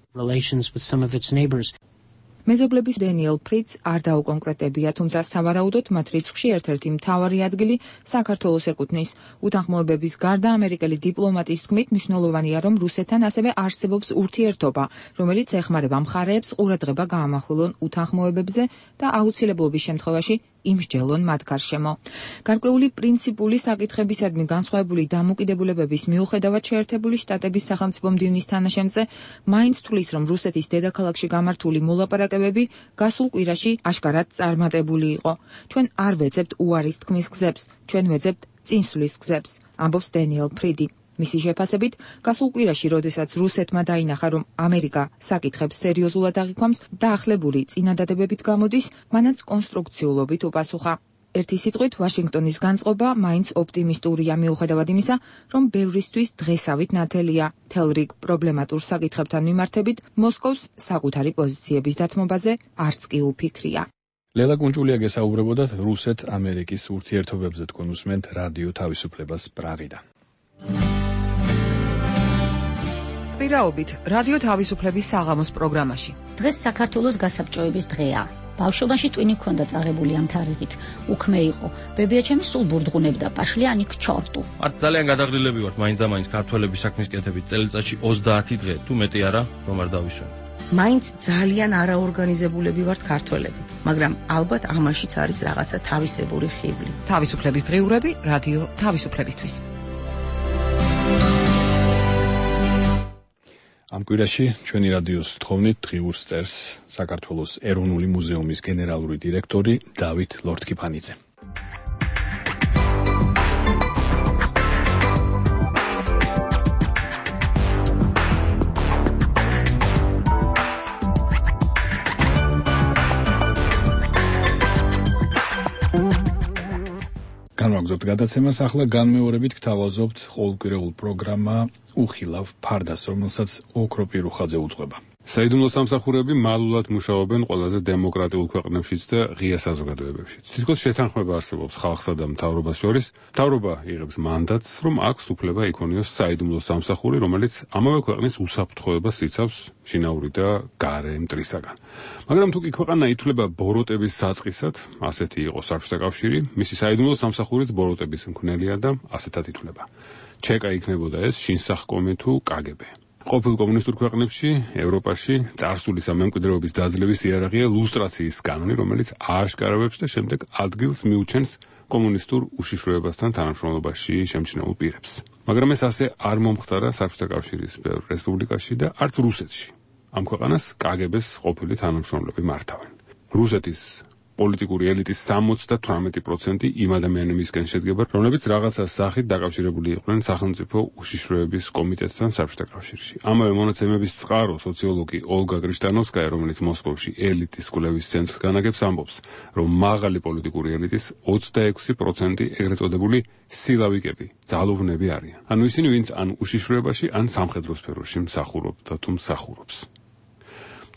მეზობლების დენიელ ფრიდს არ დაუკონკრეტებია, თუმცა სავარაუდოდ მათ რიცხვში ერთ-ერთი მთავარი ადგილი საქართველოს ეკუთვნის. უთანხმოებების გარდა ამერიკელი დიპლომატის თქმით მნიშვნელოვანია, რომ რუსეთთან ასევე არსებობს ურთიერთობა, რომელიც ეხმარება მხარეებს ყურადღება გაამახვილონ უთანხმოებებზე და აუცილებლობის შემთხვევაში იმსჯელონ მათ გარშემო. გარკვეული პრინციპული საკითხებისადმი განსხვავებული დამოკიდებულებების მიუხედავად შეერთებული შტატების სახელმწიფო მდივნის თანაშემწე მაინც თვლის, რომ რუსეთის დედაქალაქში გამართული მოლაპარაკებები გასულ კვირაში აშკარად წარმატებული იყო. ჩვენ არ ვეძებთ უარის თქმის გზებს, ჩვენ ვეძებთ წინსვლის გზებს, ამბობს დენიელ ფრიდი. მისი შეფასებით, გასულ კვირაში, როდესაც რუსეთმა დაინახა, რომ ამერიკა საკითხებს სერიოზულად აღიქვამს, დაახლებული წინადადებებით გამოდის, მანაც კონსტრუქციულობით უპასუხა. ერთი სიტყვით, ვაშინგტონის განწყობა მაინც ოპტიმისტურია მიუხედავად იმისა, რომ ბევრისთვის დღესავით ნათელია. მთელ რიგ პრობლემატურ საკითხებთან მიმართებით მოსკოვს საკუთარი პოზიციების დათმობაზე არც კი უფიქრია. ლელა კუნჭულია გესაუბრებოდა რუსეთ-ამერიკის ურთიერთობებზე, თქვენ უსმენთ რადიო თავისუფლებას პრაღიდან. პირაობით რადიო თავისუფლების საღამოს პროგრამაში. დღეს საქართველოს გასაბჭოების დღეა. ბავშვობაში ტვინი ქონდა წაღებული ამ თარიღით. უქმე იყო. ბებიაჩემი სულ ბურდღუნებდა პაშლიანი ქჩორტუ. არც ძალიან გადაღრილები ვართ მაინც ქართველების საქმის კეთებით წელიწადში 30 დღე, თუ მეტი არა, რომ არ დავისვენ. მაინც ძალიან არაორგანიზებულები ვართ ქართველები, მაგრამ ალბათ ამაშიც არის რაღაცა თავისებური ხიბლი. თავისუფლების დღიურები რადიო თავისუფლებისთვის. ამ კვირაში ჩვენი რადიოს თხოვნით დღიურს წერს საქართველოს ეროვნული მუზეუმის გენერალური დირექტორი დავით ლორთქიფანიძე. განვაგრძობთ გადაცემას, ახლა განმეორებით გთავაზობთ ყოველკვირეულ პროგრამა უხილავ ფარდას, რომელსაც ოქროპირ უხაძე უძღვება. საიდუმლო სამსახურები მალულად მუშაობენ ყველაზე დემოკრატიულ ქვეყნებშიც და ღია საზოგადოებებშიც. თითქოს შეთანხმება არსებობს ხალხსა და მთავრობას შორის. მთავრობა იღებს მანდატს, რომ აქვს უფლება იქონიოს საიდუმლო სამსახური, რომელიც ამავე ქვეყნის უსაფრთხოებას იცავს შინაური და გარე მტრისაგან. მაგრამ თუ კი ქვეყანა ითვლება ბოროტების საწყისად, ასეთი იყო საბჭოთა კავშირი, მისი საიდუმლო სამსახურიც ბოროტების მქონელია და ასეთად ითვლება. ჩეკა იქნებოდა ეს შინსახკომი თუ კგბ. ყოფილ კომუნისტურ ქვეყნებში, ევროპაში წარსული სამემკვიდრეობის დაძლევის იარაღია ლუსტრაციის კანონი, რომელიც ააშკარავებს და შემდეგ ადგილს მიუჩენს კომუნისტურ უშიშროებასთან თანამშრომლობაში შემჩნეულ პირებს. მაგრამ ეს ასე არ მომხდარა საბჭოთა კავშირის ბევრ რესპუბლიკაში და არც რუსეთში. ამ ქვეყანას კგბ-ს ყოფილი თანამშრომლები მართავენ. რუსეთის პოლიტიკური ელიტის 78% იმ ადამიანებისგან შედგება, რომლებიც რაღაცა სახით დაკავშირებული იყვნენ სახელმწიფო უშიშროების კომიტეტთან საბჭოთა კავშირში. ამავე მონაცემების წყარო სოციოლოგი ოლგა კრიშტანოვსკაია, რომელიც მოსკოვში ელიტის კვლევის ცენტრს განაგებს, ამბობს, რომ მაღალი პოლიტიკური ელიტის 26% ეგრეთ წოდებული სილავიკები, ძალუვნები არიან. ანუ ისინი, ვინც ან უშიშროებაში, ან სამხედრო სფეროში მსახურობდა თუ მსახურობს.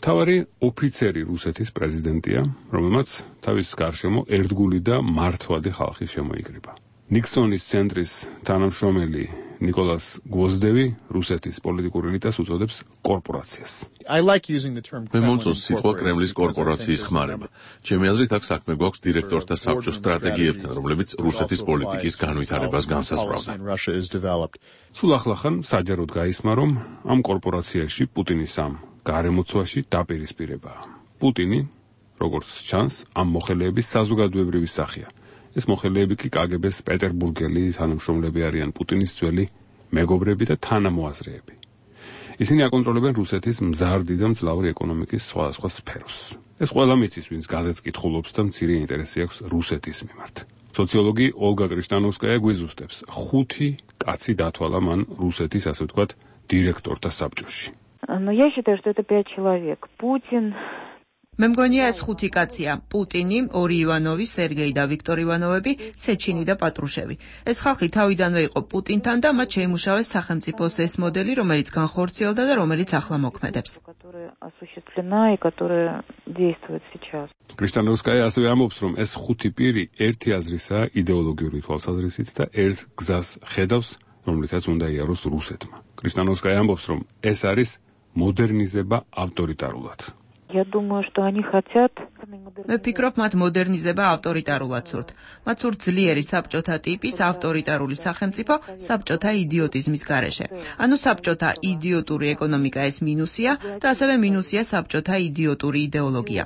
მთავარი ოფიცერი რუსეთის პრეზიდენტია, რომელმაც თავის გარშემო ერთგული და მართვადი ხალხი შემოიკრიბა. ნიქსონის ცენტრის თანამშრომელი ნიკოლას გვოზდევი რუსეთის პოლიტიკურ ელიტას უწოდებს კორპორაციას. მე მომწონს სიტყვა კრემლის კორპორაციის ხმარება. ჩემი აზრით აქ საქმე გვაქვს დირექტორთა საბჭოს სტრატეგიებთან, რომლებიც რუსეთის პოლიტიკის განვითარებას განსაზღვრავდა. სულ ახლახან საჯაროდ გაისმა, რომ ამ კორპორაციაში პუტინის ამ გარემოცვაში დაპირისპირებაა. პუტინი, როგორც ჩანს, ამ მოხელეების საზოგადოებრივი სახეა. ეს მოხელეები კი კგბ-ს პეტერბურგელი თანამშრომლები არიან პუტინის ძველი მეგობრები და თანამოაზრეები. ისინი აკონტროლებენ რუსეთის მზარდი და მძლავრი ეკონომიკის სხვადასხვა სფეროს. ეს ყველა მიცის, ვინც გაზეთს კითხულობს და მცირე ინტერესი აქვს რუსეთის მიმართ. სოციოლოგი ოლგა კრიშტანოვსკაია გვიზუსტებს, 5 კაცი დათვალა მან რუსეთის, ასე ვთქვათ, დირექტორთა საბჭოში. Но я считаю, что это 5 человек. Путин. მე მგონია ეს 5 კაცია: პუტინი, 2 ივანოვი, სერგეი და ვიქტორ ივანოვები, სეჩინი და პატრუშევი. ეს ხალხი თავიდანვე იყო პუტინთან და მათ შეიმუშავეს სახელმწიფოს ეს მოდელი, რომელიც განხორციელდა და რომელიც ახლა მოქმედებს. კრიშტანოვსკაია ასევე ამბობს, რომ ეს 5 პირი ერთი აზრისაა იდეოლოგიური თვალსაზრისით და ერთ გზას ხედავს, რომლითაც უნდა იაროს რუსეთმა. კრიშტანოვსკაია ამბობს, რომ ეს არის მოდერნიზება ავტორიტარულად. Я думаю, что они хотят. მე ვფიქრობ, მათ მოდერნიზება ავტორიტარულად სურთ. მათ სურთ ძლიერი საბჭოთა ტიპის ავტორიტარული სახელმწიფო საბჭოთა იდიოტიზმის გარეშე. ანუ საბჭოთა იდიოტური ეკონომიკა ეს მინუსია და ასევე მინუსია საბჭოთა იდიოტური იდეოლოგია.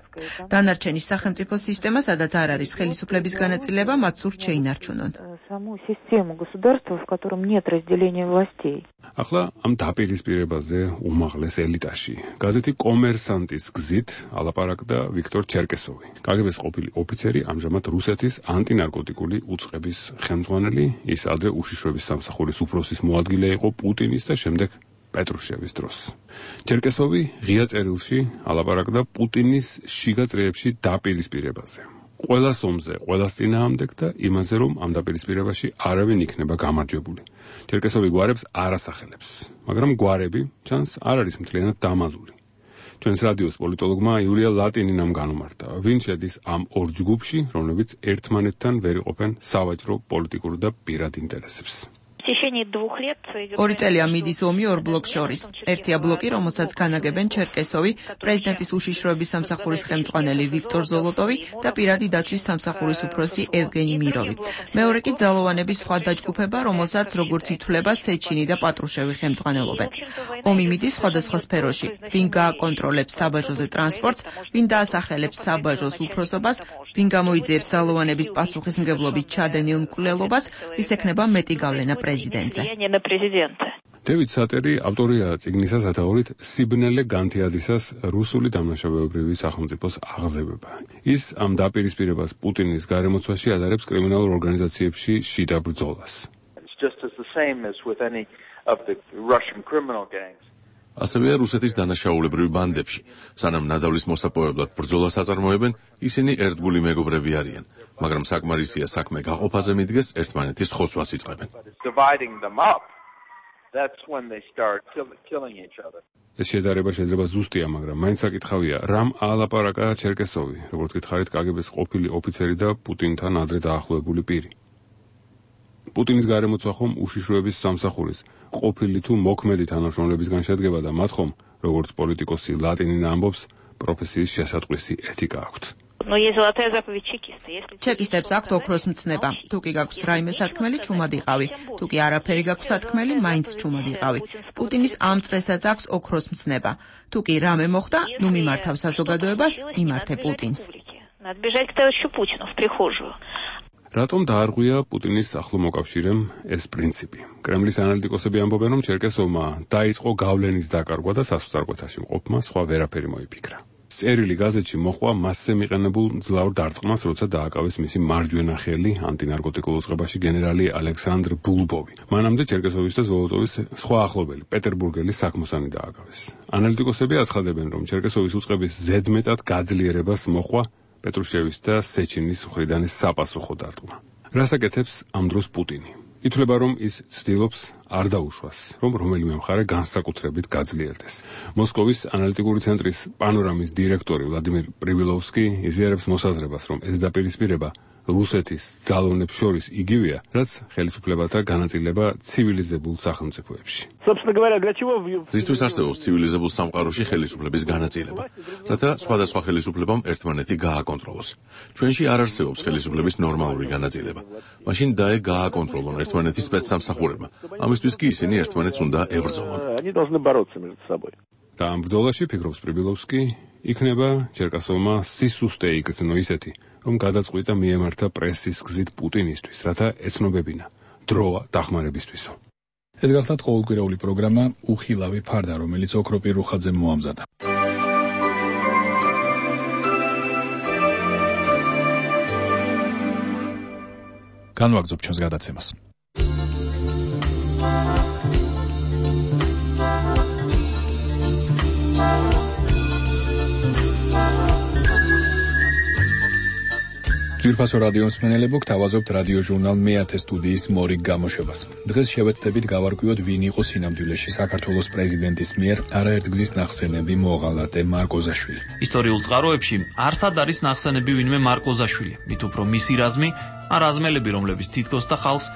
დანარჩენი სახელმწიფო სისტემა, სადაც არ არის ხელისუფლების განაწილება, მათ სურთ შეინარჩუნონ. Саму систему государства, в котором нет разделения властей. ახლა ამ დაპირისპირებაზე უმაღლეს ელიტაში გაზეთი კომერსანტის გზით ალაპარაკდა ვიქტორ ჩერკესოვი, კგბ-ს ყოფილი ოფიცერი, ამჟამად რუსეთის ანტინარკოტიკული უწყების ხელმძღვანელი. ის ადრე უშიშროების სამსახურის უფროსის მოადგილე იყო პუტინის და შემდეგ პეტრუშევის დროს. ჩერკესოვი ღია წერილში ალაპარაკდა პუტინის შიგა წრეებში დაპირისპირებაზე. ყველას ომზე, ყველას წინააღმდეგ და იმაზე, რომ ამ დაპირისპირებაში არავინ იქნება გამარჯვებული. ჩერკესოვი გვარებს არ ასახელებს, მაგრამ გვარები, ჩანს, არ არის მთლიანად დამალული. ჩვენს რადიოს პოლიტოლოგმა იულია ლატინინამ განუმარტა, ვინ შედის ამ ორ ჯგუფში, რომლებიც ერთმანეთთან ვერ იყოფენ სავაჭრო, პოლიტიკურ და პირად ინტერესებს. 2 წელია მიდის ომი ორ ბლოკს შორის. ერთია ბლოკი, რომელსაც განაგებენ ჩერკესოვი, პრეზიდენტის უშიშროების სამსახურის ხელმძღვანელი ვიქტორ ზოლოტოვი და პირადი დაცვის სამსახურის უფროსი ევგენი მიროვი. მეორე კი ძალოვანების სხვა დაჯგუფება, რომელსაც როგორც ითვლება სეჩინი და პატრუშევი ხელმძღვანელობენ. ომი მიდის სხვადასხვა სფეროში. ვინ გააკონტროლებს საბაჟოზე ტრანსპორტს, ვინ დაასახელებს საბაჟოს უფროსობას, ვინ გამოიძიებს ძალოვანების პასუხისმგებლობით ჩადენილ მკვლელობას, ვის ექნება მეტი გავლენა პრეზიდენტზე. დევიდ სატერი ავტორია წიგნისა სათაურით სიბნელე განთიადისას რუსული დამნაშავეობრივი სახელმწიფოს აღზევება. ის ამ დაპირისპირებას პუტინის გარემოცვაში ადარებს კრიმინალურ ორგანიზაციებში შიდა ბრძოლას. ასევე რუსეთის დანაშაულებრივი ბანდებში, სანამ ნადავლის მოსაპოვებლად ბრძოლას აწარმოებენ, ისინი ერთგული მეგობრები არიან, მაგრამ საკმარისია საქმე გაყოფაზე მიდგეს, ერთმანეთის ხოცვას იწყებენ. ეს შედარება შეიძლება ზუსტია, მაგრამ მაინც საკითხავია, რამ ალაპარაკა ჩერკესოვი, როგორც გითხარით, კგბ-ს ყოფილი ოფიცერი და პუტინთან ადრე დაახლოებული პირი. პუტინის გარემოცვა ხომ უშიშროების სამსახურის ყოფილი თუ მოქმედი თანამშრომლებისგან შედგება და მათ ხომ, როგორც პოლიტიკოსი ლატინინა ამბობს, პროფესიის შესატყვისი ეთიკა აქვთ. ჩეკისტებს აქვთ ოქროს მცნება. თუ კი გაქვს რაიმე სათქმელი, ჩუმად იყავი. თუ კი არაფერი გაქვს სათქმელი, მაინც ჩუმად იყავი. პუტინის ამ წრესაც აქვს ოქროს მცნება. თუ კი რამე მოხდა, ნუ მიმართავ საზოგადოებას, მიმართე პუტინს. რატომ დაარღვია პუტინის ახლო მოკავშირემ ეს პრინციპი? კრემლის ანალიტიკოსები ამბობენ, რომ ჩერკესოვმა დაიწყო გავლენის დაკარგვა და სასწრაფოთაში მყოფმა სხვა ვერაფერი მოიფიქრა. წერილი გაზეთში მოხვა მასზე მიყენებულ მძლავრ დარტყმას, როცა დააკავეს მისი მარჯვენა ხელი ანტინარკოტიკულ უწყებაში გენერალი ალექსანდრ ბულბოვი. მანამდე ჩერკესოვის და ზოლოტოვის სხვა ახლობელი პეტერბურგელი საქმოსანი დააკავეს. ანალიტიკოსები აცხადებენ, რომ ჩერკესოვის უწყების ზედმეტად გაძლიერებას მოხვა პეტრუშევის და სეჩინის მხრიდან საპასუხო დარტყმა. რას აკეთებს ამ დროს პუტინი? ითვლება, რომ ის ცდილობს არ დაუშვას, რომ რომელიმე მხარე განსაკუთრებით გაძლიერდეს. მოსკოვის ანალიტიკური ცენტრის პანორამის დირექტორი ვლადიმერ პრივილოვსკი იზიარებს მოსაზრებას, რომ ეს დაპირისპირება რუსეთის ძალოვნებს შორის იგივეა, რაც ხელისუფლებათა განაწილება ცივილიზებულ სახელმწიფოებში. რისთვის არსებობს ცივილიზებულ სამყაროში ხელისუფლების განაწილება, რათა სხვადასხვა ხელისუფლებამ ერთმანეთი გააკონტროლოს. ჩვენში არ არსებობს ხელისუფლების ნორმალური განაწილება. მაშინ დაე გააკონტროლონ ერთმანეთის სპეცსამსახურებმა. ამისთვის კი ისინი ერთმანეთს უნდა ებრძოლონ. და ამ ბრძოლაში, ფიქრობს პრიბილოვსკი, იქნება ჩერკასოვმა სისუსტე იგრძნო ისეთი, რომ გადაწყვიტა მიემართა პრესის გზით პუტინისთვის, რათა ეცნობებინა დროა დახმარებისთვისო. ეს გახლავთ ყოველკვირეული პროგრამა უხილავი ფარდა, რომელიც ოქროპირ რუხაძემ მოამზადა. განვაგრძობ ჩვენს გადაცემას. ძვირფასო რადიო მსმენელებო, გთავაზობთ რადიო ჟურნალ მეათე სტუდიის მორიგ გამოშვებას. დღეს შევეცდებით გავარკვიოთ, ვინ იყო სინამდვილეში საქართველოს პრეზიდენტის მიერ არაერთგზის ნახსენები მოღალატე მარკოზაშვილი. ისტორიულ წყაროებში არსად არის ნახსენები ვინმე მარკოზაშვილი, მით უფრო მისი რაზმი, ან რაზმელები, რომლებიც თითქოს და ხალხს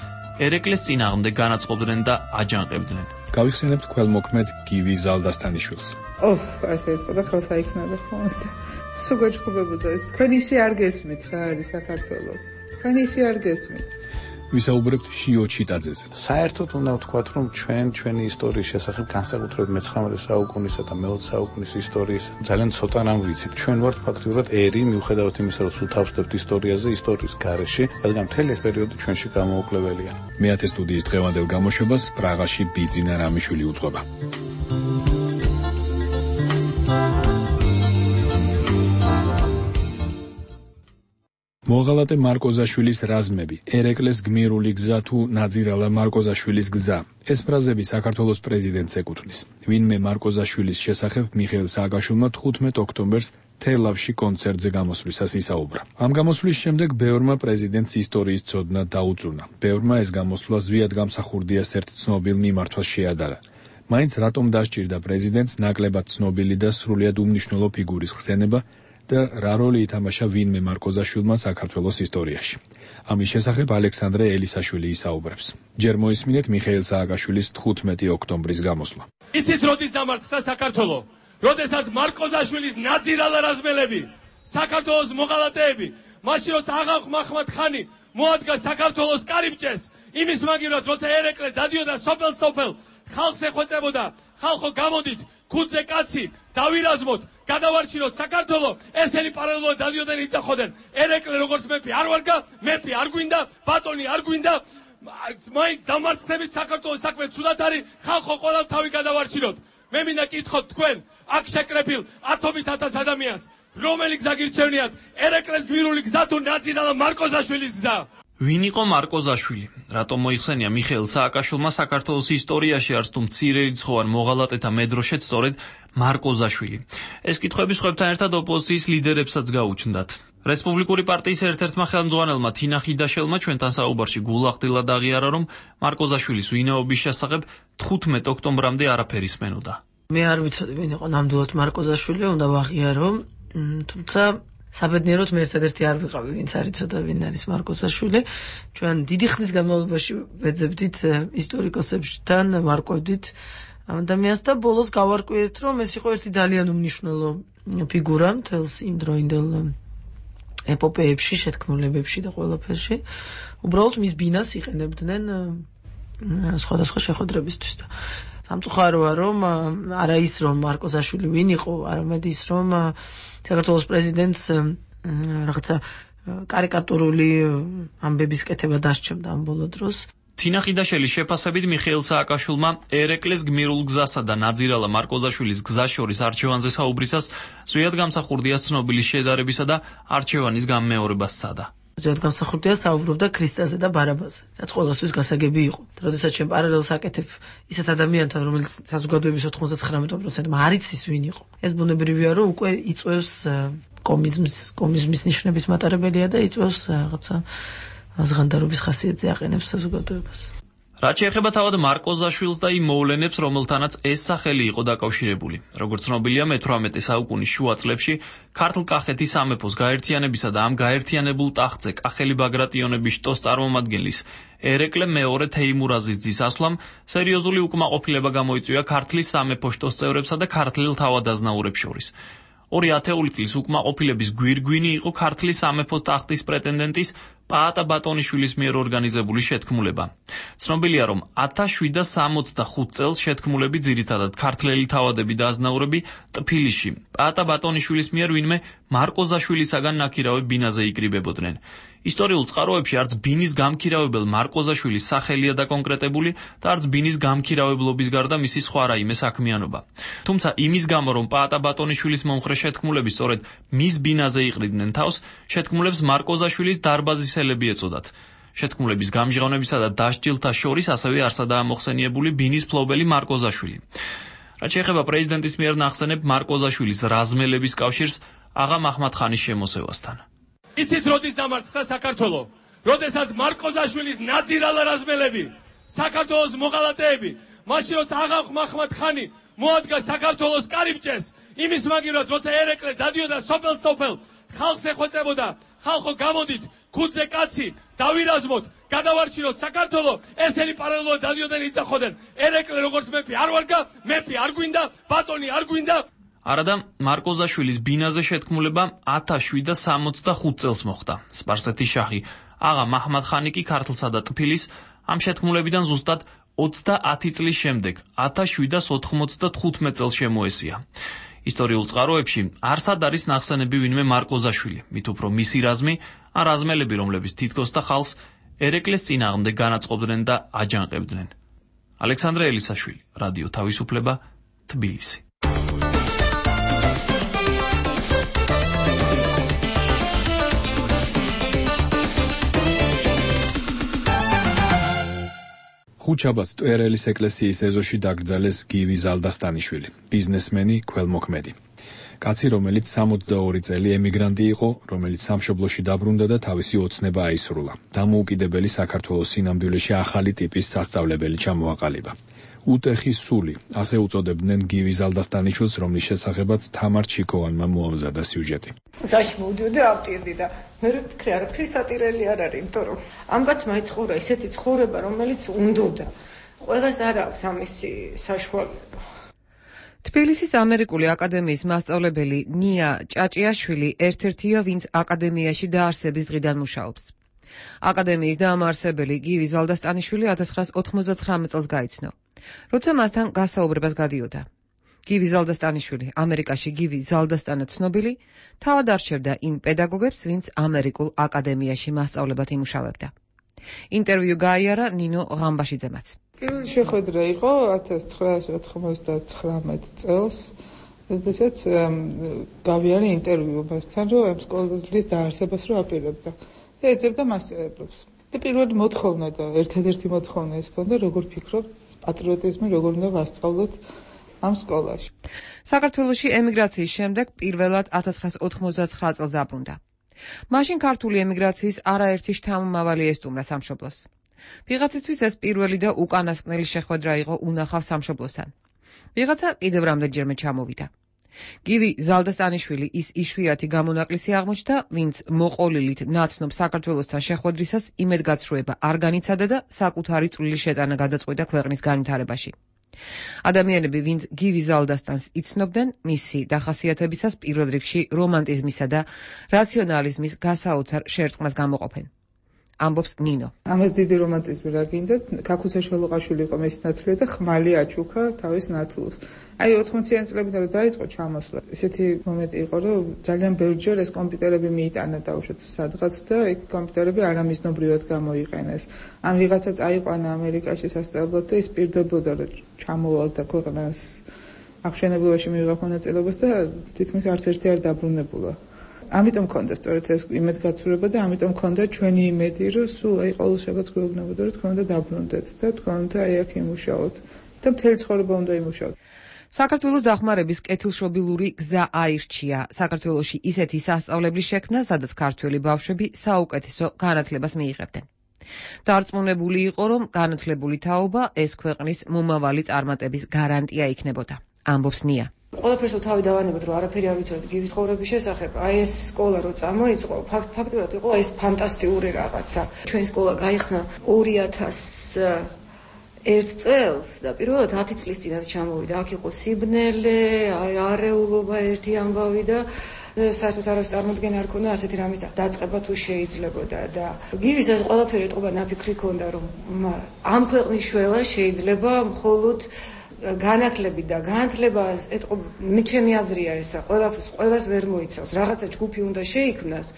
ერეკლეს წინააღმდეგ განაწყობდნენ და აჯანყებდნენ. გავიხსენებთ ქველმოქმედ გივი ზალდასტანიშვილს. ასე ეთქვა და ხელს აიქნადა ხოლმე. სულ გაჩხუბებოდა ეს. თქვენ ისე არ გესმით რა არის საქართველო. თქვენ ისე არ გესმით. ვისაუბრებთ შიო ჩიტაძეზე. საერთოდ უნდა ვთქვათ, რომ ჩვენი ისტორიის შესახებ განსაკუთრებით მე-19 საუკუნისა და მე-20 საუკუნის ისტორიის ძალიან ცოტა რამ ვიცით. ჩვენ ვართ ფაქტიურად ერი, მიუხედავად იმისა, რომ სულ თავს ვდებთ ისტორიაზე, ისტორიის გარეშე, რადგან მთელი ეს პერიოდი ჩვენში გამოუკლებელია. მეათე სტუდიის დღევანდელ გამოშვებას პრაღაში ბიძინა რამიშვილი უძღვება. მოღალატე მარკოზაშვილის რაზმები, ერეკლეს გმირული გზა თუ ნაძირალა მარკოზაშვილის გზა. ეს ფრაზები საქართველოს პრეზიდენტს ეკუთვნის. ვინმე მარკოზაშვილის შესახებ მიხეილ სააკაშვილმა 15 ოქტომბერს თელავში კონცერტზე გამოსვლისას ისაუბრა. ამ გამოსვლის შემდეგ ბევრმა პრეზიდენტს ისტორიის ცოდნა დაუწუნა. ბევრმა ეს გამოსვლა ზვიად გამსახურდიას ერთ ცნობილ მიმართვას შეადარა. მაინც რატომ დასჭირდა პრეზიდენტს ნაკლებად ცნობილი და სრულიად უმნიშვნელო ფიგურის ხსენება და რა როლი ითამაშა ვინმე მარკოზაშვილმა საქართველოს ისტორიაში. ამის შესახებ ალექსანდრე ელისაშვილი ისაუბრებს. ჯერ მოისმინეთ მიხეილ სააკაშვილის 15 ოქტომბრის გამოსვლა. იცით როდის დამარცხდა საქართველო? როდესაც მარკოზაშვილის ნაძირალა რაზმელები, საქართველოს მოღალატეები, მაშინ როცა აღა მაჰმად ხანი მოადგა საქართველოს კარიბჭეს, იმის მაგივრად როცა ერეკლე დადიოდა სოფელ-სოფელ, ხალხს ეხვეწებოდა, ხალხო გამოდით, ქუდზე კაცი, დავირაზმოთ, გადავარჩინოთ საქართველო, ესენი პარალელურად დადიოდნენ იწახოდნენ. ერეკლე როგორც მეფე არ ვარგა, მეფე არ გვინდა, ბატონი არ გვინდა, მაინც დამარცხდებით საქართველოს საქმე ცუდად არის, ხალხო ყოველ თავი გადავარჩინოთ. მე მინდა კითხოთ თქვენ, აქ შეკრებილ 10,000 ადამიანს, რომელი გზა გირჩევნიათ, ერეკლეს გმირული გზა თუ ნაძირალა მარკოზაშვილის გზა? ვინ იყო მარკოზაშვილი? რატომ მოიხსენია მიხეილ სააკაშვილმა საქართველოს ისტორიაში არც თუ მცირე რიცხოვან მოღალატეთა მედროშეთ სწორედ მარკოზაშვილი? ეს კითხვები სხვებთან ერთად ოპოზიციის ლიდერებსაც გაუჩნდათ. რესპუბლიკური პარტიის ერთ-ერთმა ხელმძღვანელმა თინა ხიდაშელმა ჩვენთან საუბარში გულახდილად აღიარა, რომ მარკოზაშვილის ვინაობის შესახებ 15 ოქტომბრამდე არაფერი ისმენოდა. მე არ ვიცოდი ვინ იყო ნამდვილად მარკოზაშვილი, უნდა ვაღიარო, თუმცა საბედნიეროდ მე ერთადერთი არ ვიყავი, ვინც არ იცოდა ვინ არის მარკოზაშვილი. ჩვენ დიდი ხნის განმავლობაში ვეძებდით ისტორიკოსებთან, ვარკვევდით ამ ადამიანს და ბოლოს გავარკვიეთ, რომ ეს იყო ერთი ძალიან უმნიშვნელო ფიგურა მთელს იმ დროინდელ ეპოპეებში, შეთქმულებებში და ყველაფერში. უბრალოდ მის ბინას იყენებდნენ სხვადასხვა შეხვედრებისთვის და სამწუხაროა, რომ არა ის რომ მარკოზაშვილი ვინ იყო, არამედ ის რომ საქართველოს პრეზიდენტს რაღაცა კარიკატურული ამბების კეთება დასჭებდა ამ ბოლო დროს. თინა ხიდაშელის შეფასებით მიხეილ სააკაშვილმა ერეკლეს გმირულ გზასა და ნაძირალა მარკოზაშვილის გზას შორის არჩევანზე საუბრისას ზვიად გამსახურდია ცნობილი შედარებისა და არჩევანის გამეორებას სცადა. ზოგადად გამსახურდია საუბრობდა ქრისტაზე და ბარაბაზე, რაც ყველასთვის გასაგები იყო. როდესაც ჩვენ პარალელს აკეთებ ისეთ ადამიანთან, რომელიც საზოგადოების 99%-მა არ იცის ვინ იყო. ეს ბუნებრივია, რომ უკვე იწვევს კომიზმის ნიშნების მატარებელია და იწვევს რაღაცა აზღანდარობის ხასიათზე აყენებს საზოგადოებას. რაც შეეხება თავად მარკოზაშვილს და იმ მოვლენებს, რომელთანაც ეს სახელი იყო დაკავშირებული. Როგორც ცნობილია, მე-18 საუკუნის შუა წლებში ქართლ კახეთის სამეფოს გაერთიანებისა და ამ გაერთიანებულ ტახტზე კახელი ბაგრატიონების შტოს წარმომადგენლის ერეკლე მეორე თეიმურაზის ძის ასვლამ სერიოზული უკმაყოფილება გამოიწვია ქართლის სამეფო შტოს წევრებსა და ქართლელ თავადაზნაურებს შორის. 2 ათეული წლის უკმაყოფილების გვირგვინი იყო ქართლის სამეფო ტახტის პრეტენდენტის პაატა ბატონიშვილის მიერ ორგანიზებული შეთქმულება. ცნობილია, რომ 1765 წელს შეთქმულები ძირითადად ქართლელი თავადები და აზნაურები ტფილისში პაატა ბატონიშვილის მიერ ვინმე მარკოზაშვილისაგან ნაქირავებ ბინაზე იკრიბებოდნენ. ისტორიულ წყაროებში არც ბინის გამქირავებელ მარკოზაშვილის სახელია დაკონკრეტებული და არც ბინის გამქირავებლობის გარდა მისი სხვა რაიმე საქმიანობა. თუმცა იმის გამო, რომ პაატა ბატონიშვილის მომხრე შეთქმულები სწორედ მის ბინაზე იყრიდნენ თავს, შეთქმულებს მარკოზაშვილის დარბაზისელები ეწოდათ. შეთქმულების გამჟღავნებისა და დასჯილთა შორის ასევე არსადაა მოხსენიებული ბინის ფლობელი მარკოზაშვილი. რაც შეეხება პრეზიდენტის მიერ ნახსენებ მარკოზაშვილის რაზმელების კავშირს აღა მაჰმად-ხანის შემოსევასთან. იცით როდის დამარცხდა საქართველო? როდესაც მარკოზაშვილის ნაძირალა რაზმელები, საქართველოს მოღალატეები, მაშინ როცა აღა მაჰმად-ხანი მოადგა საქართველოს კარიბჭეს, იმის მაგივრად როცა ერეკლე დადიოდა სოფელ-სოფელ, ხალხს ეხვეწებოდა, ხალხო გამოდით, ქუდზე კაცი, დავირაზმოთ, გადავარჩინოთ საქართველო, ესენი პარალელურად დადიოდნენ იწახოდნენ. ერეკლე როგორც მეფე არ ვარგა, მეფე არ გვინდა, ბატონი არ გვინდა. არადა მარკოზაშვილის ბინაზე შეთქმულება 1765 წელს მოხდა. სპარსეთის შაჰი აღა მაჰმად-ხანი კი ქართლსა და ტფილის ამ შეთქმულებიდან ზუსტად 30 წლის შემდეგ 1795 წელს შემოესია. ისტორიულ წყაროებში არსად არის ნახსენები ვინმე მარკოზაშვილი, მით უფრო მისი რაზმი, ან რაზმელები, რომლებიც თითქოს და ხალხს ერეკლეს წინააღმდეგ განაწყობდნენ და აჯანყებდნენ. ალექსანდრე ელისაშვილი, რადიო თავისუფლება, თბილისი. ხუთშაბათს ტვერელის ეკლესიის ეზოში დაკრძალეს გივი ზალდასტანიშვილი, ბიზნესმენი, ქველმოქმედი. კაცი, რომელიც 62 წელი ემიგრანტი იყო, რომელიც სამშობლოში დაბრუნდა და თავისი ოცნება აისრულა. დამოუკიდებელი საქართველოს სინამდვილეში ახალი ტიპის სასწავლებელი ჩამოაყალიბა. უტეხის სული, ასე უწოდებდნენ გივი ზალდასტანიშვილს, რომლის შესახებაც თამარ ჩიქოვანმა მოამზადა სიუჟეტი. ზაში მოვდიოდი და ავტირდი და მე ვფიქრე არაფერი სატირელი არ არის, იმიტომ რომ ამ კაცმა იცხოვრა ისეთი ცხოვრება, რომელიც უნდოდა. ყველას არ აქვს ამისი საშუალება. თბილისის ამერიკული აკადემიის მასწავლებელი ნია ჭაჭიაშვილი ერთ-ერთია, ვინც აკადემიაში დაარსების დღიდან მუშაობს. აკადემიის დაამარსებელი გივი ზალდასტანიშვილი 1999 წელს გაიცნო, როცა მასთან გასაუბრებას გადიოდა. გივი ზალდასტანიშვილი, ამერიკაში გივი ზალდასტანა ცნობილი, თავად არჩევდა იმ პედაგოგებს, ვინც ამერიკულ აკადემიაში მასწავლებად იმუშავებდა. ინტერვიუ გაიარა ნინო ღამბაშიძემაც. პირველი შეხვედრა იყო 1999 წელს, როდესაც გავიარე ინტერვიუ მასთან, რომ ამ სკოლის დაარსებას რო აპირებდა და ეძებდა მასწავლებლებს. და პირველი მოთხოვნა და ერთადერთი მოთხოვნა ეს ჰქონდა, როგორ ფიქრობთ, პატრიოტიზმი როგორ უნდა ვასწავლოთ ამ სკოლაში. საქართველოში ემიგრაციის შემდეგ პირველად 1999 წელს დაბრუნდა. მაშინ ქართული ემიგრაციის არაერთი შთამომავალი ესტუმრა სამშობლოს. ვიღაცისთვის ეს პირველი და უკანასკნელი შეხვედრა იყო უნახავ სამშობლოსთან. ვიღაცა კიდევ რამდენჯერმე ჩამოვიდა. გივი ზალდასტანიშვილი ის იშვიათი გამონაკლისი აღმოჩნდა, ვინც მოყოლილით ნაცნობ საქართველოსთან შეხვედრისას იმედგაცრუება არ განიცადა და საკუთარი წვლილი შეტანა გადაწყვიტა ქვეყნის განვითარებაში. ადამიანები, ვინც გივი ზალდასტანს იცნობდნენ, მისი დახასიათებისას პირველ რიგში რომანტიზმისა და რაციონალიზმის გასაოცარ შერწყმას გამოყოფენ. ამბობს ნინო. ამას დიდი რომანტიზმი რა გინდა, ქაქუცა შველოყაშვილი იყო მისი ნათლია და ხმალი აჩუქა თავის ნათლს. აი 80-იან წლებიდან რომ დაიწყო ჩამოსვლა, ესეთი მომენტი იყო, რომ ძალიან ბევრჯერ ეს კომპიუტერები მიიტანა დაუშვათ სადღაც და ეგ კომპიუტერები არამიზნობრივად გამოიყენეს. ამ ვიღაცა წაიყვანა ამერიკაში სასწავლებლად და ის პირდებოდა, რომ ჩამოვალდა ქვეყნას აღშენებულობაში მიიღო მონაწილეობას და თითქმის არც ერთი არ დაბრუნებულა. ამიტომ მქონდა სწორედ ეს იმედგაცრუება და ამიტომ მქონდა ჩვენი იმედი, რომ სულ აი ყოველ შაბათს გვეუბნებოდა, რომ თქვენ უნდა დაბრუნდეთ და თქვენ უნდა აი აქ იმუშაოთ და მთელი ცხოვრება უნდა იმუშაოთ. საქართველოს დახმარების კეთილშობილური გზა აირჩია. საქართველოში ისეთი სასწავლებლის შექმნა, სადაც ქართველი ბავშვები საუკეთესო განათლებას მიიღებდნენ. დარწმუნებული იყო, რომ განათლებული თაობა ეს ქვეყნის მომავალი წარმატების გარანტია იქნებოდა. ამბობს ნია. ყველაფერს თავი დავანებოთ, რომ არაფერი არ ვიცოდით გივის ცხოვრების შესახებ. აი ეს სკოლა რო წამოიწყო, ფაქტურად იყო ეს ფანტასტიკური რაღაცა. ჩვენ სკოლა გაიხსნა 2001 წელს და პირველად 10 წლის წინათ ჩამოვიდა. აქ იყო სიბნელე, არეულობა, ერთი ამბავი და საერთოდ არავის წარმოდგენა არ ქონდა ასეთი რამის დაწყება თუ შეიძლებოდა და გივის ეს ყველაფერი ეთყობა ნაფიქრი ქონდა, რომ ამ ქვეყნის შველა შეიძლება მხოლოდ განათლებით და განათლება ეთყობა ჩემი აზრია ესა ყველას ვერ მოიცავს. რაღაცა ჯგუფი უნდა შეიქმნას,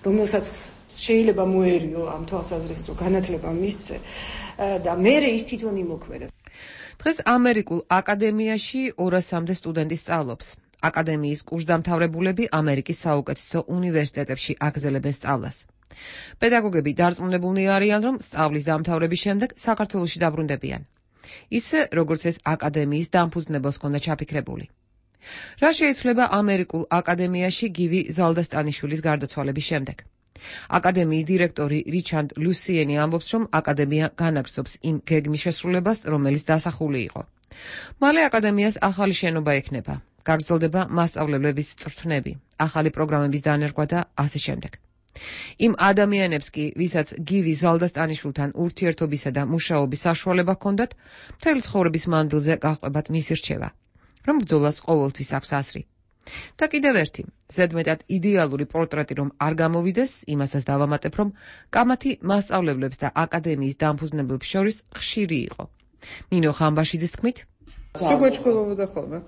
რომელსაც შეიძლება მოერიო ამ თვალსაზრისით, რომ განათლება მისცე და მერე ის თვითონ იმოქმედა. დღეს ამერიკულ აკადემიაში 200-მდე სტუდენტი სწავლობს. აკადემიის კურსდამთავრებულები ამერიკის საუკეთესო უნივერსიტეტებში აგრძელებენ სწავლას. პედაგოგები დარწმუნებულნი არიან, რომ სწავლის დამთავრების შემდეგ საქართველოში დაბრუნდებიან. ისე, როგორც ეს აკადემიის დამფუძნებელს ჰქონდა ჩაფიქრებული. რა შეიცვლება ამერიკულ აკადემიაში გივი ზალდასტანიშვილის გარდაცვალების შემდეგ? აკადემიის დირექტორი რიჩარდ ლუსიენი ამბობს, რომ აკადემია განაგრძობს იმ გეგმის შესრულებას, რომელიც დასახული იყო. მალე აკადემიას ახალი შენობა ექნება. გაგრძელდება მასწავლებლების წვრთნები, ახალი პროგრამების დანერგვა და ასე შემდეგ. იმ ადამიანებს კი, ვისაც გივი ზალდასტანიშვილთან ურთიერთობისა და მუშაობის საშუალება ჰქონდათ, მთელი ცხოვრების მანძილზე გაჰყვებათ მისი რჩევა, რომ ბრძოლას ყოველთვის აქვს აზრი. და კიდევ ერთი, ზედმეტად იდეალური პორტრეტი რომ არ გამოვიდეს, იმასაც დავამატებ, რომ კამათი მასწავლებლებს და აკადემიის დამფუძნებლებს შორის ხშირი იყო. ნინო ხამბაშიძის თქმით, სუგვეჭხებოდა ხოლმე.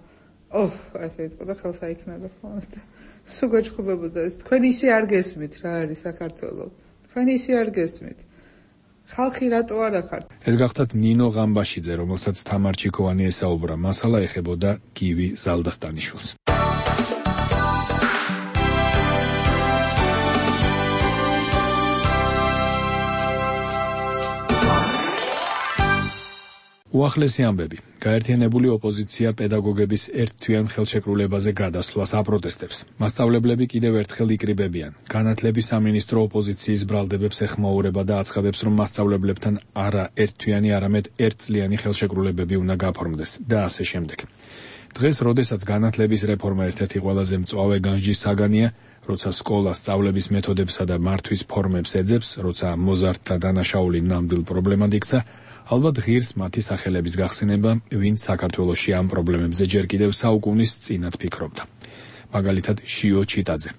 ასე იტყოდა და ხელს აიქნოდა ხოლმე და სუგვეჭხებოდა ეს. თქვენ ისე არ გესმით რა არის საქართველო. თქვენ ისე არ გესმით. ხალხი რატო არ ახართ? ეს გახდათ ნინო ღამბაშიძე, რომელსაც თამარ ჩიქოვანი ესაუბრა. მასალა ეხებოდა გივი ზალდასტანიშვილს. უახლესი ამბები. გაერთიანებული ოპოზიცია პედაგოგების ერთთვიან ხელშეკრულებაზე გადასვლას აპროტესტებს. მასწავლებლები კიდევ ერთხელ იკრიბებიან. განათლების სამინისტრო ოპოზიციის ბრალდებებს ეხმაურება და აცხადებს, რომ მასწავლებლებთან არა ერთთვიანი, არამედ ერთწლიანი ხელშეკრულებები უნდა გაფორმდეს და ასე შემდეგ. დღეს, როდესაც განათლების რეფორმა ერთ-ერთი ყველაზე მწვავე განჯის საგანია, როცა სკოლა სწავლების მეთოდებსა და მართვის ფორმებს ეძებს, როცა მოზარდთა დანაშაული ნამდვილ პრობლემად იქცა, ალბათ ღირს მათი სახელების გახსენება, ვინც საქართველოში ამ პრობლემებზე ჯერ კიდევ საუკუნის წინათ ფიქრობდა. მაგალითად, შიო ჩიტაძე.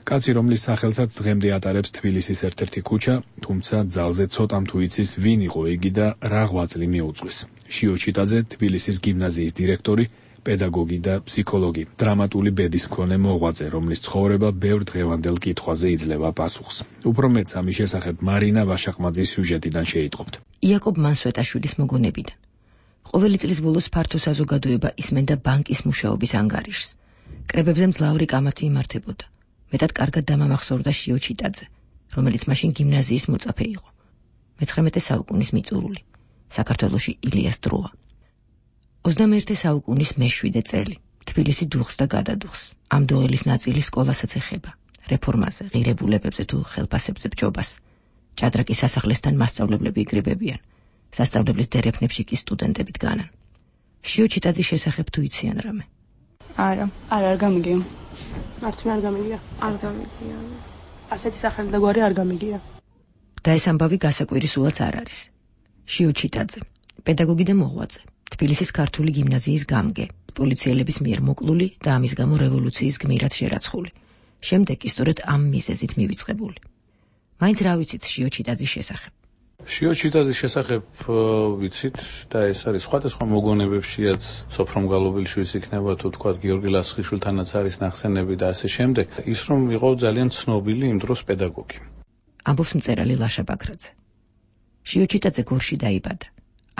კაცი, რომლის სახელსაც დღემდე ატარებს თბილისის ერთ-ერთი ქუჩა, თუმცა ძალზე ცოტამ თუ იცის, ვინ იყო იგი და რა ღვაწლი მიუძღვის. შიო ჩიტაძე, თბილისის გიმნაზიის დირექტორი, პედაგოგი და ფსიქოლოგი, დრამატული ბედის მქონე მოღვაწე, რომლის ცხოვრება ბევრ დღევანდელ კითხვაზე იძლევა პასუხს. უფრო მეტს ამის შესახებ მარინა ვაშაყმაძის სიუჟეტიდან შეიტყობთ. იაკობ მანსვეტაშვილის მოგონებიდან. ყოველი წლის ბოლოს ფართო საზოგადოება ისმენდა ბანკის მუშაობის ანგარიშს. კრებებზე მძლავრი კამათი იმართებოდა. მეტად კარგად დამამახსოვრდა შიო ჩიტაძე, რომელიც მაშინ გიმნაზიის მოწაფე იყო. მე-19 საუკუნის მიწურული. საქართველოში ილიას დროა. 21 საუკუნის მე-7 წელი. თბილისი დუხს და გადადუხს. ამ დოელის ნაწილი სკოლასაც ეხება. რეფორმაზე, ღირებულებებზე თუ ხელფასებზე ბჯობას. ჭადრაკის სასახლესთან მასწავლებლები იკრიბებიან. სასწავლებლის დერეფნებში კი სტუდენტები დგანან. შიო ჩიტაძის შესახებ თუ იციან რამე? არ გამიგია. არც მე არ გამიგია. არ გამიგია. ასეთი სახელი და გვარი არ გამიგია. და ეს ამბავი გასაკვირისულად არ არის. შიო ჩიტაძე, პედაგოგი და მოღვაწე. თბილისის ქართული გიმნაზიის გამგე, პოლიციელების მიერ მოკლული და ამის გამო რევოლუციის გმირად შერაცხული. შემდეგ კი სწორედ ამ მიზეზით მივიწყებული. მაინც რა ვიცით შიო ჩიტაძის შესახებ? შიო ჩიტაძის შესახებ ვიცით და ეს არის სხვადასხვა მოგონებებშიაც სოფრომ გალობილიშვილის იქნება თუ თქვა გიორგი ლასხიშვილთანაც არის ნახსენები და ასე შემდეგ. ის რომ იყო ძალიან ცნობილი იმ დროს პედაგოგი. ამბობს მწერალი ლაშა ბაგრაძე. შიო ჩიტაძე გორში დაიბადა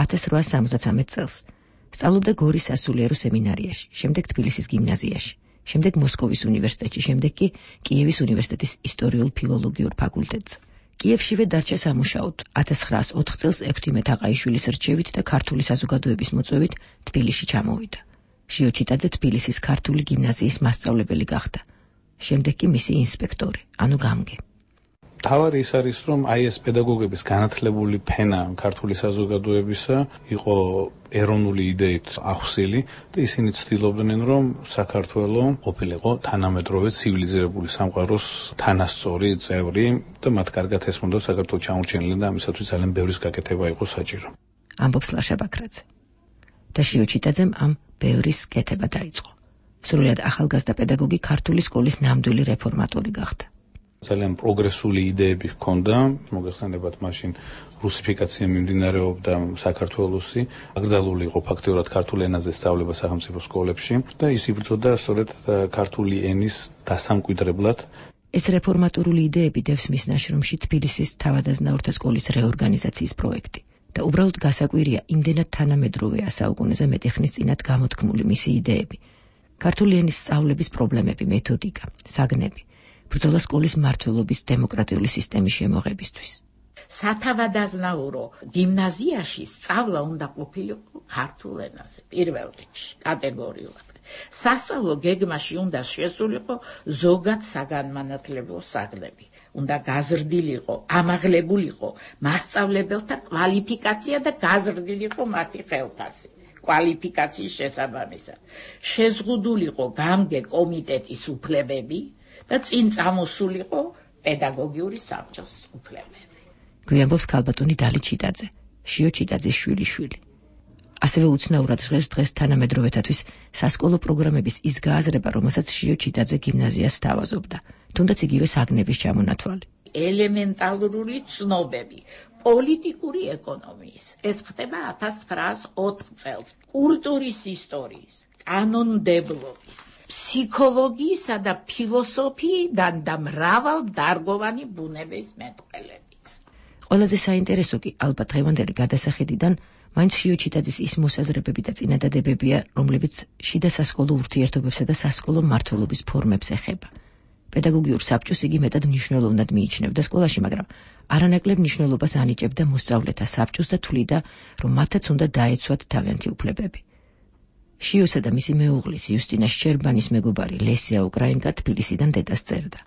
1873 წელს. სწავლობდა გორის სასულიერო სემინარიაში, შემდეგ თბილისის გიმნაზიაში, შემდეგ მოსკოვის უნივერსიტეტში, შემდეგ კი კიევის უნივერსიტეტის ისტორიულ-ფილოლოგიურ ფაკულტეტზე. კიევშივე დარჩა სამუშაოდ. 1904 წელს 6 მეთაყაიშვილის რჩევით და ქართული საზოგადოების მოწვევით თბილისში ჩამოვიდა. შიო ჩიტაძე თბილისის ქართული გიმნაზიის მასწავლებელი გახდა. შემდეგ კი მისი ინსპექტორი, ანუ გამგე. თავარი ის არის, რომ აი ეს პედაგოგების განათლებული ფენა ქართული საზოგადოებისა იყო ეროვნული იდეით ახსილი და ისინი ცდილობდნენ, რომ საქართველო ყოფილიყო თანამედროვე ცივილიზირებული სამყაროს თანასწორი წევრი და მათ კარგად ესმოდა საქართველოს ჩამორჩენილი და ამისათვის ძალიან ბევრის გაკეთება იყო საჭირო. ამბობს ლაშა ბაქრაძე. და შიოჩიტაძემ ამ ბევრის კეთება დაიწყო. სრულად ახალგაზრდა პედაგოგი ქართული სკოლის ნამდვილი რეფორმატორი გახდა. ძალიან პროგრესული იდეები ჰქონდა, მოგეხსენებათ მაშინ რუსიფიკაცია მიმდინარეობდა საქართველოსი, აკრძალული იყო ფაქტიურად ქართული ენაზე სწავლება სახელმწიფო სკოლებში და ის იბრძოდა სწორედ ქართული ენის დასამკვიდრებლად. ეს რეფორმატორული იდეები დევს მის ნაშრომში თბილისის თავადაზნაურთა სკოლის რეორგანიზაციის პროექტი და უბრალოდ გასაკვირია იმდენად თანამედროვეა საუკუნეზე მეტი ხნის წინათ გამოთქმული მისი იდეები. ქართული ენის სწავლების პრობლემები, მეთოდიკა, საგნები, ბრძოლა სკოლის მმართველობის დემოკრატიული სისტემის შემოღებისთვის. სათავადაზნაურო გიმნაზიაში სწავლა უნდა ყოფილიყო ქართულ ენაზე პირველ რიგში კატეგორიულად. სასწავლო გეგმაში უნდა შესულიყო ზოგად საგანმანათლებლო საგნები. უნდა გაზრდილიყო, ამაღლებულიყო მასწავლებელთა კვალიფიკაცია და გაზრდილიყო მათი ხელფასი. კვალიფიკაციის შესაბამისად. შეზღუდულიყო გამგე კომიტეტის უფლებები და წინ წამოსულიყო პედაგოგიური საბჭოს უფლებები. გვიამბობს ქალბატონი დალი ჩიტაძე, შიო ჩიტაძის შვილიშვილი. ასევე უცნაურად დღეს თანამედროვეთათვის სასკოლო პროგრამების ის გააზრება, რომელსაც შიო ჩიტაძე გიმნაზიას სთავაზობდა, თუნდაც იგივე საგნების ჩამონათვალი. ელემენტარული ცნობები პოლიტიკური ეკონომიის. ეს ხდება 1904 წელს. კულტურის ისტორიის, კანონმდებლობის, ფსიქოლოგიისა და ფილოსოფიიდან და მრავალდარგოვანი ბუნების მეტყველებიდან. ყველაზე საინტერესო კი ალბათ დღევანდელი გადასახედიდან მაინც შიო ჩიტაძის ის მოსაზრებები და წინადადებებია, რომლებიც შიდა სასკოლო ურთიერთობებსა და სასკოლო მმართველობის ფორმებს ეხება. პედაგოგიურ საბჭოს იგი მეტად მნიშვნელოვნად მიიჩნევდა სკოლაში, მაგრამ არანაკლებ მნიშვნელობას ანიჭებდა მოსწავლეთა საბჭოს და თვლიდა, რომ მათაც უნდა დაეცვათ თავიანთი უფლებები. შიოსა და მისი მეუღლის იუსტინა შჩერბანის მეგობარი ლესია უკრაინკა თბილისიდან დედას წერდა.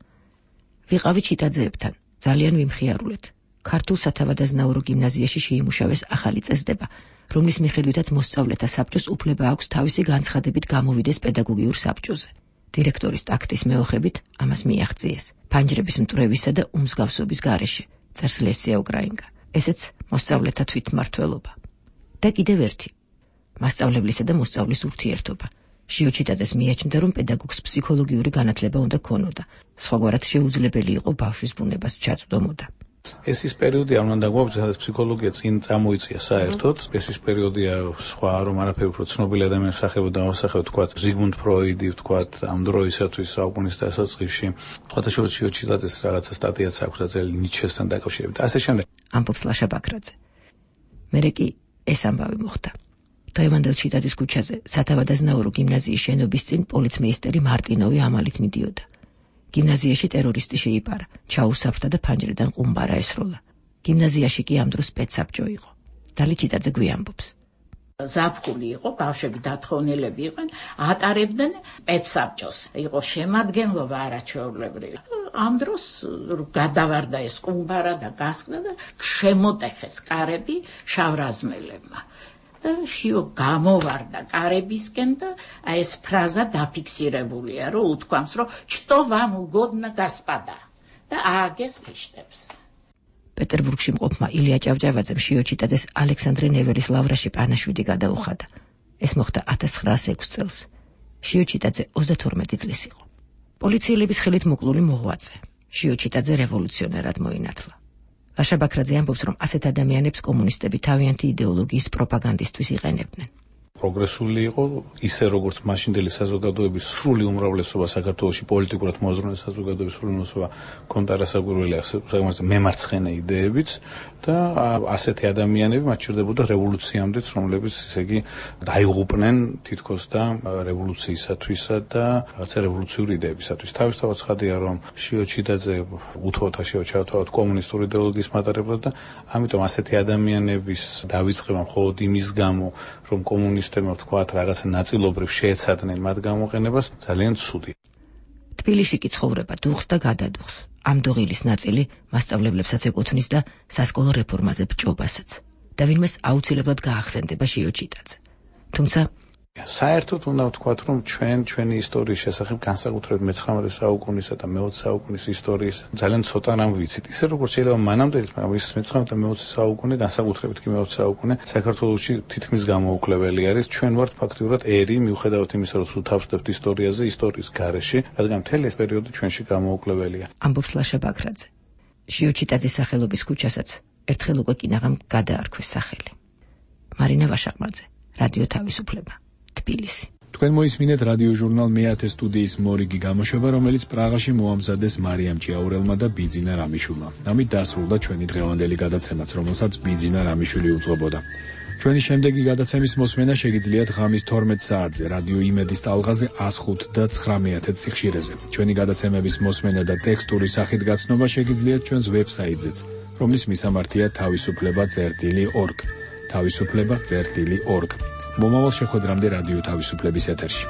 ვიყავი ჩიტაძეებთან, ძალიან ვიმხიარულეთ. ქართულ სათავადაზნაურო გიმნაზიაში შეიმუშავეს ახალი წესდება, რომლის მიხედვითაც მოსწავლეთა საბჭოს უფლება აქვს თავისი განცხადებით გამოვიდეს პედაგოგიურ საბჭოზე. დირექტორის ტაქტის მეოხებით ამას მიაღწიეს ფანჯრების მტრევისა და უმსგავსობის გარეშე, წერს ლესია უკრაინკა. ესეც მოსწავლეთა თვითმმართველობა. და კიდევ ერთი, მასწავლებლისა და მოსწავლის ურთიერთობა. შიო ჩიტაძეს მიაჩნდა, რომ პედაგოგს ფსიქოლოგიური განათლება უნდა ქონოდა, სხვაგვარად შეუძლებელი იყო ბავშვის ბუნებას ჩაწვდომოდა. ეს ის პერიოდია, რომ უნდა გვაქვს, სადაც ფსიქოლოგია წინ წამოიწია საერთოდ. ეს ის პერიოდია, სხვა რომ არაფერი უფრო ცნობილი ადამიანის სახეობა დავასახელოთ, თქვათ ზიგმუნდ ფროიდი, თქვათ ამ დროისათვის საუკუნის დასაწყისში. სხვათა შორის შიო ჩიტაძეს რაღაცა სტატიაც აქვს ძელი ნიჩესთან დაკავშირებით. ასე შემდეგ. ამბობს ლაშა ბაქრაძე. მერე კი ეს ამბავი მოხდა. დღევანდელ ჩიტაძის ქუჩაზე სათავადაზნაურო გიმნაზიის შენობის წინ პოლიცმეისტერი მარტინოვი ამალით მიდიოდა. გიმნაზიაში ტერორისტი შეიპარა, ჩაუსაფრთა და ფანჯრიდან ყუმბარა ესროლა. გიმნაზიაში კი ამ დროს სპეცსაბჭო იყო. დალი ჩიტაძე გვიამბობს. ზაფხული იყო, ბავშვები დათხოვნილები იყვნენ, ატარებდნენ სპეცსაბჭოს. იყო შემადგენლობა არაჩვეულებრივი. ამ დროს გადავარდა ეს ყუმბარა და გასკდა და შემოტეხეს კარები შავრაზმელებმა. და შიო გამოვარდა კარებისკენ და ეს ფრაზა დაფიქსირებულია, რომ უთქვამს, რომ "Что вам угодно, господа" და ააგეს ხიშტებს. პეტერბურგში მყოფმა ილია ჭავჭავაძემ შიო ჩიტაძეს ალექსანდრე ნეველის ლავრაში პანაშვიდი გადაუხადა. ეს მოხდა 1906 წელს. შიო ჩიტაძე 32 წლის იყო. პოლიციელების ხელით მოკლული მოღვაწე. შიო ჩიტაძე რევოლუციონერად მოინათლა. ლაშა ბაქრაძე ამბობს, რომ ასეთ ადამიანებს კომუნისტები თავიანთი იდეოლოგიის პროპაგანდისთვის იყენებდნენ. პროგრესული იყო, ისე როგორც მაშინდელი საზოგადოების სრული უმრავლესობა საქართველოში პოლიტიკურად მოაზროვნე საზოგადოების სრული უმრავლესობა ჰქონდა რასაკვირველი მემარცხენე იდეებიც და ასეთი ადამიანები მათ ჭირდებოდა რევოლუციამდეც, რომლებიც ესე იგი დაიღუპნენ თითქოს და რევოლუციისათვისა და რაღაცა რევოლუციური იდეებისათვის. თავისთავად ცხადია, რომ შიო ჩიტაძე უთხოვდა შეუჩავთავად კომუნისტური იდეოლოგიის მატარებლად და ამიტომ ასეთი ადამიანების დავიწყება მხოლოდ იმის გამო, რომ კომუნისტებმა თქვათ რაღაცა ნაწილობრივ შეეცადნენ მათ გამოყენებას ძალიან ცუდი. თბილისში კი ცხოვრება დუხს და გადადუხს. ამ დოღილის ნაწილი მასწავლებლებსაც ეკუთვნის და სასკოლო რეფორმაზე ბჭობასაც და ვინმეს აუცილებლად გაახსენდება შიოჩიტაძე. თუმცა საერთოდ უნდა ვთქვათ, რომ ჩვენი ისტორიის შესახებ განსაკუთრებით მე-19 საუკუნისა და მე-20 საუკუნის ისტორიის ძალიან ცოტა რამ ვიცით. ისე როგორც შეიძლება მანამდეც, მაგრამ ის მე-19 და მე-20 საუკუნე, განსაკუთრებით კი მე-20 საუკუნე საქართველოში თითქმის გამოუკლებელი არის. ჩვენ ვართ ფაქტიურად ერი, მიუხედავად იმისა, რომ სულ თავს ვდებთ ისტორიაზე, ისტორიის გარეშე, რადგან მთელი ეს პერიოდი ჩვენში გამოუკლებელია. ამბობს ლაშა ბაქრაძე. შიოჩიტაძის სახელობის ქუჩასაც ერთხელ უკვე კინაღამ გადაარქვეს სახელი. მარინა ვაშაყმაძე, რადიო თავისუფლება. თბილისი. თქვენ მოისმინეთ რადიო ჟურნალ მე-10 სტუდიის მორიგი გამოშვება, რომელიც პრაღაში მოამზადეს მარიამ ჭიაურელმა და ბიძინა რამიშვილმა. ამით დასრულდა ჩვენი დღევანდელი გადაცემაც, რომელსაც ბიძინა რამიშვილი უძღვებოდა. ჩვენი შემდეგი გადაცემის მოსმენა შეგიძლიათ ღამის 12 საათზე რადიო იმედის ტალღაზე 105 და 900 სიხშირეზე. ჩვენი გადაცემების მოსმენა და ტექსტური სახით გაცნობა შეგიძლიათ ჩვენს ვებსაიტზეც, რომლის მისამართია თავისუფლება.org. თავისუფლება.org. მომავალ შეხვედრამდე რადიო თავისუფლების ეთერში.